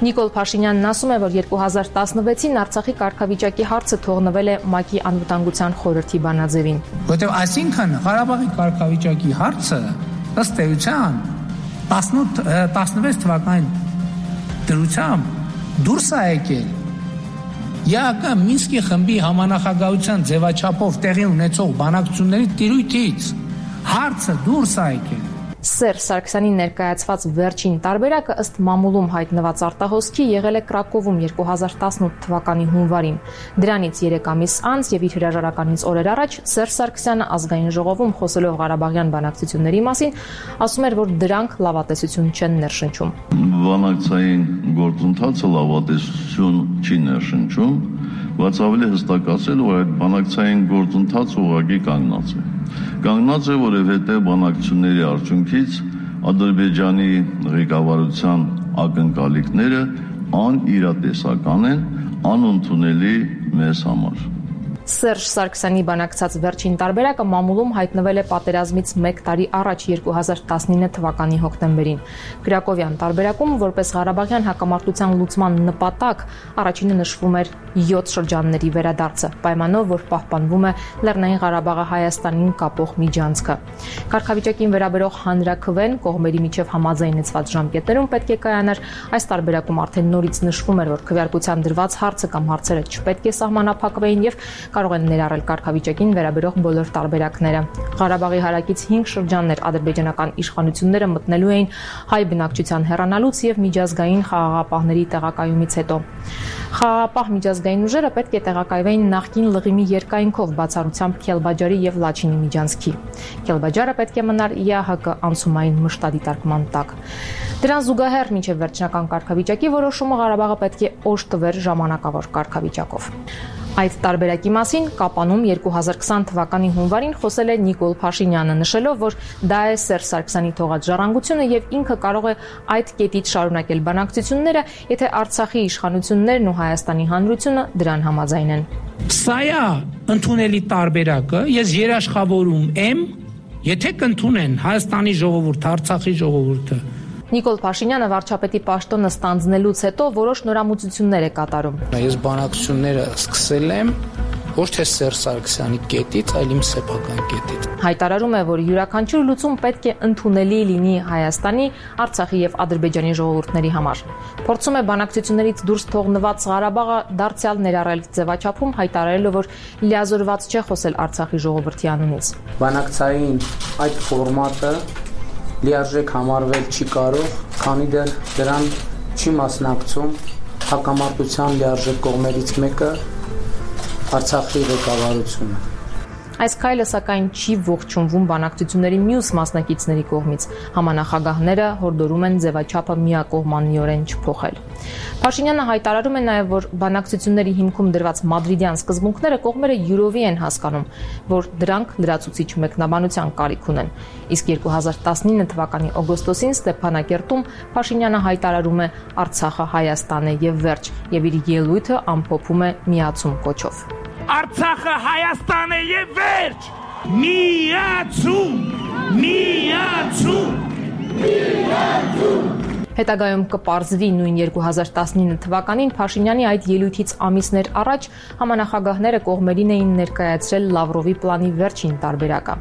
Նիկոլ Փաշինյանն ասում է, որ 2016-ին Արցախի կարգավիճակի հարցը թողնվել է ՄԱԿ-ի անվտանգության խորհրդի բանաձևին։ Որտեղ այսինքն Ղարաբաղի կարգավիճակի հարցը ըստ էության 16 թվականի դրությամբ դուրս է եկել ԵԱԿ Մինսկի խմբի համանախագահության ձևաչափով տեղի ունեցող բանակցությունների տիրույթից հարցը դուրս է եկել։ Սերժ Սարգսյանի ներկայացված վերջին տարբերակը ըստ մամուլում հայտնված արտահոսքի եղել է Կրակովում 2018 թվականի հունվարին։ Դրանից 3 ամիս անց եւ իր հրաժարականից օրեր առաջ Սերժ Սարգսյանը ազգային ժողովում խոսելով Ղարաբաղյան բանակցությունների մասին ասում էր, որ դրանք լավատեսություն չեն ներշնչում։ Բանակցային գործընթացը լավատեսություն չի ներշնչում, բայց ավելի հստակ ասել, որ այդ բանակցային գործընթացը ուղղակի կանգնած է։ Կանգնած է, որովհետև բանակցությունների արդյունքից Ադրբեջանի ղեկավարության ակնկալիքները անիրատեսական են, անընդունելի մեզ համար։ Սերժ Սարգսյանի բանակցած վերջին տարբերակը մամուլում հայտնվել է պատերազմից 1 տարի առաջ 2019 թվականի հոկտեմբերին։ Կրակովյան տարբերակում, որպես Ղարաբաղյան հակամարտության լուծման նպատակ, առաջինը նշվում էր 7 շրջանների վերադարձը, պայմանով, որ պահպանվում է Լեռնային Ղարաբաղը Հայաստանին կապող միջանցքը։ Կարգավիճակին վերաբերող հանրաքվեն կողմերի միջև համաձայնեցված ժամկետներում պետք է կայանար, այս տարբերակում արդեն նորից նշվում էր, որ քվեարկության դրված հարցը կամ հարցերը չպետք է սահմանափակվեին եւ կարող են ներառել կարգավիճակին վերաբերող բոլոր տարբերակները։ Ղարաբաղի հարակից 5 շրջաններ ադրբեջանական իշխանությունները մտնելու էին հայ բնակչության հեռանալուց եւ միջազգային խաղաղապահների տեղակայումից հետո։ Խաղաղապահ միջազգային ուժերը պետք է տեղակայվեին նախկին լղիմի երկայնքով բացառությամբ Քելբաջարի եւ Լաչինի միջանցքի։ Քելբաջարը պետք է մնար ԵԱՀԿ անցումային մշտադիտարկման տակ։ Դրան զուգահեռ մինչև վերջնական կարգավիճակի որոշումը Ղարաբաղը պետք է օժտվեր ժամանակավոր կարգավիճակով։ Այդ տարբերակի մասին Կապանում 2020 թվականի հունվարին խոսել է Նիկոլ Փաշինյանը, նշելով, որ դա է Սերժ Սարգսյանի թողած ժառանգությունը եւ ինքը կարող է այդ կետից շարունակել բանակցությունները, եթե Արցախի իշխանություններն ու Հայաստանի Հանրությունը դրան համաձայնեն։ Սա է ընդունելի տարբերակը, ես երաշխավորում եմ, եթե կընդունեն Հայաստանի ժողովուրդը, Արցախի ժողովուրդը։ Նիկոլ Փաշինյանը վարչապետի պաշտոնը ստանձնելուց հետո որոշ նորամուծություններ է կատարում։ Ես բանակցությունները սկսել եմ ոչ թե Սերժ Սարգսյանի կետից, այլ իմ սեփական կետից։ Հայտարարում է, որ յուրաքանչյուր լուծում պետք է ընդունելի լինի Հայաստանի, Արցախի եւ Ադրբեջանի ժողովուրդների համար։ Փորձում է բանակցություններից դուրս թողնված Ղարաբաղը դարձյալ ներառել ձևաչափում, հայտարարելով, որ լիազորված չէ խոսել Արցախի ժողովրդի անունից։ Բանակցային այդ ֆորմատը լիարժեք համարվել չի կարող, քանի դեռ դրան չի մասնակցում հակամարտության լիարժեք կողմերից մեկը Արցախի ղեկավարությունը։ Այս քայլը սակայն չի ողջունվում բանակցությունների մյուս մասնակիցների կողմից։ Համանախագահները հորդորում են ձևաչափը միակողմանիորեն չփոխել։ Փաշինյանը հայտարարում է նաև, որ բանակցությունների հիմքում դրված մադրիդյան սկզբունքները կողմերը յուրովի են հասկանում, որ դրանք լրացուցիչ մեկնաբանության կարիք ունեն։ Իսկ 2019 թվականի օգոստոսին Ստեփանակերտում Փաշինյանը հայտարարում է Արցախը Հայաստան է եւ վերջ, եւ իր ելույթը ամփոփում է միացում կոչով։ Արցախը Հայաստան է եւ վերջ։ Միացում, միացում, միացում։ Հետագայում կպարզվի նույն 2019 թվականին Փաշինյանի այդ ելույթից ամիսներ առաջ համանախագահները կողմերին էին ներկայացրել Լավրովի պլանի վերջին տարբերակը։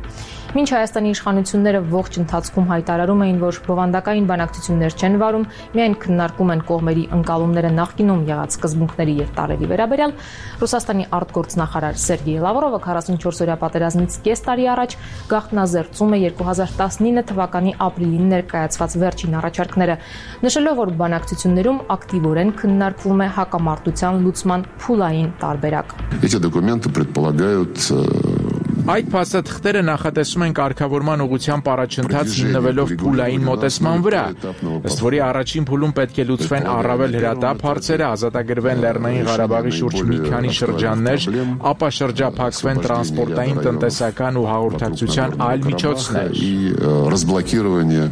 Մինչ Հայաստանի իշխանությունները ողջ ընթացքում հայտարարում էին, որ բովանդակային բանակցություններ չեն վարում, միայն քննարկում են կողմերի ընկալումները նախկինում եղած սկզբունքների եւ տարերի վերաբերյալ, Ռուսաստանի արտգործնախարար Սերգեյ Լավրովը 44-օրյա պատերազմից կես տարի առաջ գաղտնազերծում է 2019 թվականի ապրիլին ներկայացված վերջին առաջարկները, նշելով, որ բանակցություններում ակտիվորեն քննարկվում է հակամարտության լուծման փուլային տարբերակ։ Эти документы предполагают Այդ փաստաթղթերը նախատեսում են կարգավորման ուղղությամբ առաջընթաց հիմնվելով փուլային մոտեցման վրա, ըստ որի առաջին փուլում պետք է լուծվեն առավել հրատապ հարցերը, ազատագրվեն Լեռնային Ղարաբաղի շուրջ մի քանի շրջաններ, ապա շրջափակվեն տրանսպորտային, տնտեսական ու հաղորդակցության այլ միջոցներ։ Разблокирование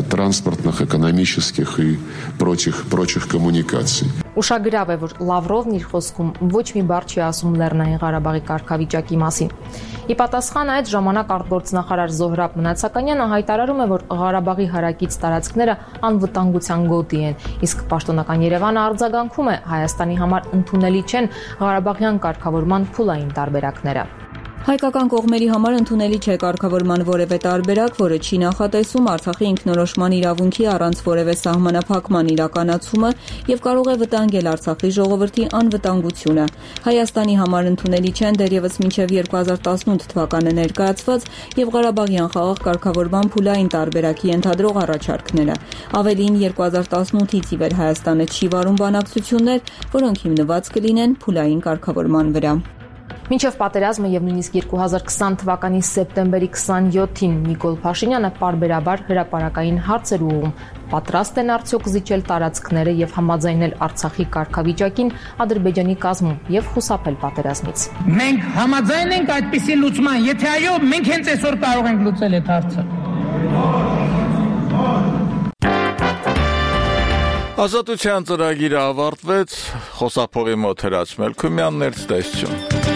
транспортных, экономических и прочих коммуникаций. Ուշագրավ է, որ Լավրովն իր խոսքում ոչ մի բառ չի ասում Լեռնային Ղարաբաղի կարգավիճակի մասին։ Ի պատասխան այդ ժամանակ արտգործնախարար Զոհրաբ Մնացականյանը հայտարարում է, որ Ղարաբաղի հարակից տարածքները անվտանգության գոտի են, իսկ պաշտոնական Երևանը արձագանքում է Հայաստանի համար ընդունելի չեն Ղարաբաղյան կարգավորման փուլային տարբերակները։ Հայկական կողմերի համար ընդունելի չէ կարգավորման որևէ տարբերակ, որը չի նախատեսում Արցախի ինքնորոշման իրավունքի առանց որևէ սահմանափակման իրականացումը եւ կարող է վտանգել Արցախի ժողովրդի անվտանգությունը։ Հայաստանի համար ընդունելի չեն դեռևս մինչեւ 2018 թվականը ներկայացված եւ Ղարաբաղյան խաղաղ կարգավորման փուլային տարբերակի ենթադրող առաջարկները։ Ավելին 2018-ից ի վեր Հայաստանը չի վարում բանակցություններ, որոնք հիմնված կլինեն փուլային կարգավորման վրա։ Մինչև պատերազմը եւ նույնիսկ 2020 թվականի սեպտեմբերի 27-ին Նիկոլ Փաշինյանը պարբերաբար հրապարակային հարցեր ուղղում, պատրաստ են արդյոք զիջել տարածքները եւ համաձայնել Արցախի կարգավիճակին Ադրբեջանի կազմում եւ խուսափել պատերազմից։ Մենք համաձայն ենք այդպիսի լուծման, եթե այո, մենք հենց այսօր կարող ենք լուծել այդ հարցը։ Ազատության ծրագիրը ավարտվեց, խոսափողի մոտ Հրաչ Մելքումյանն էր, ցտեսություն։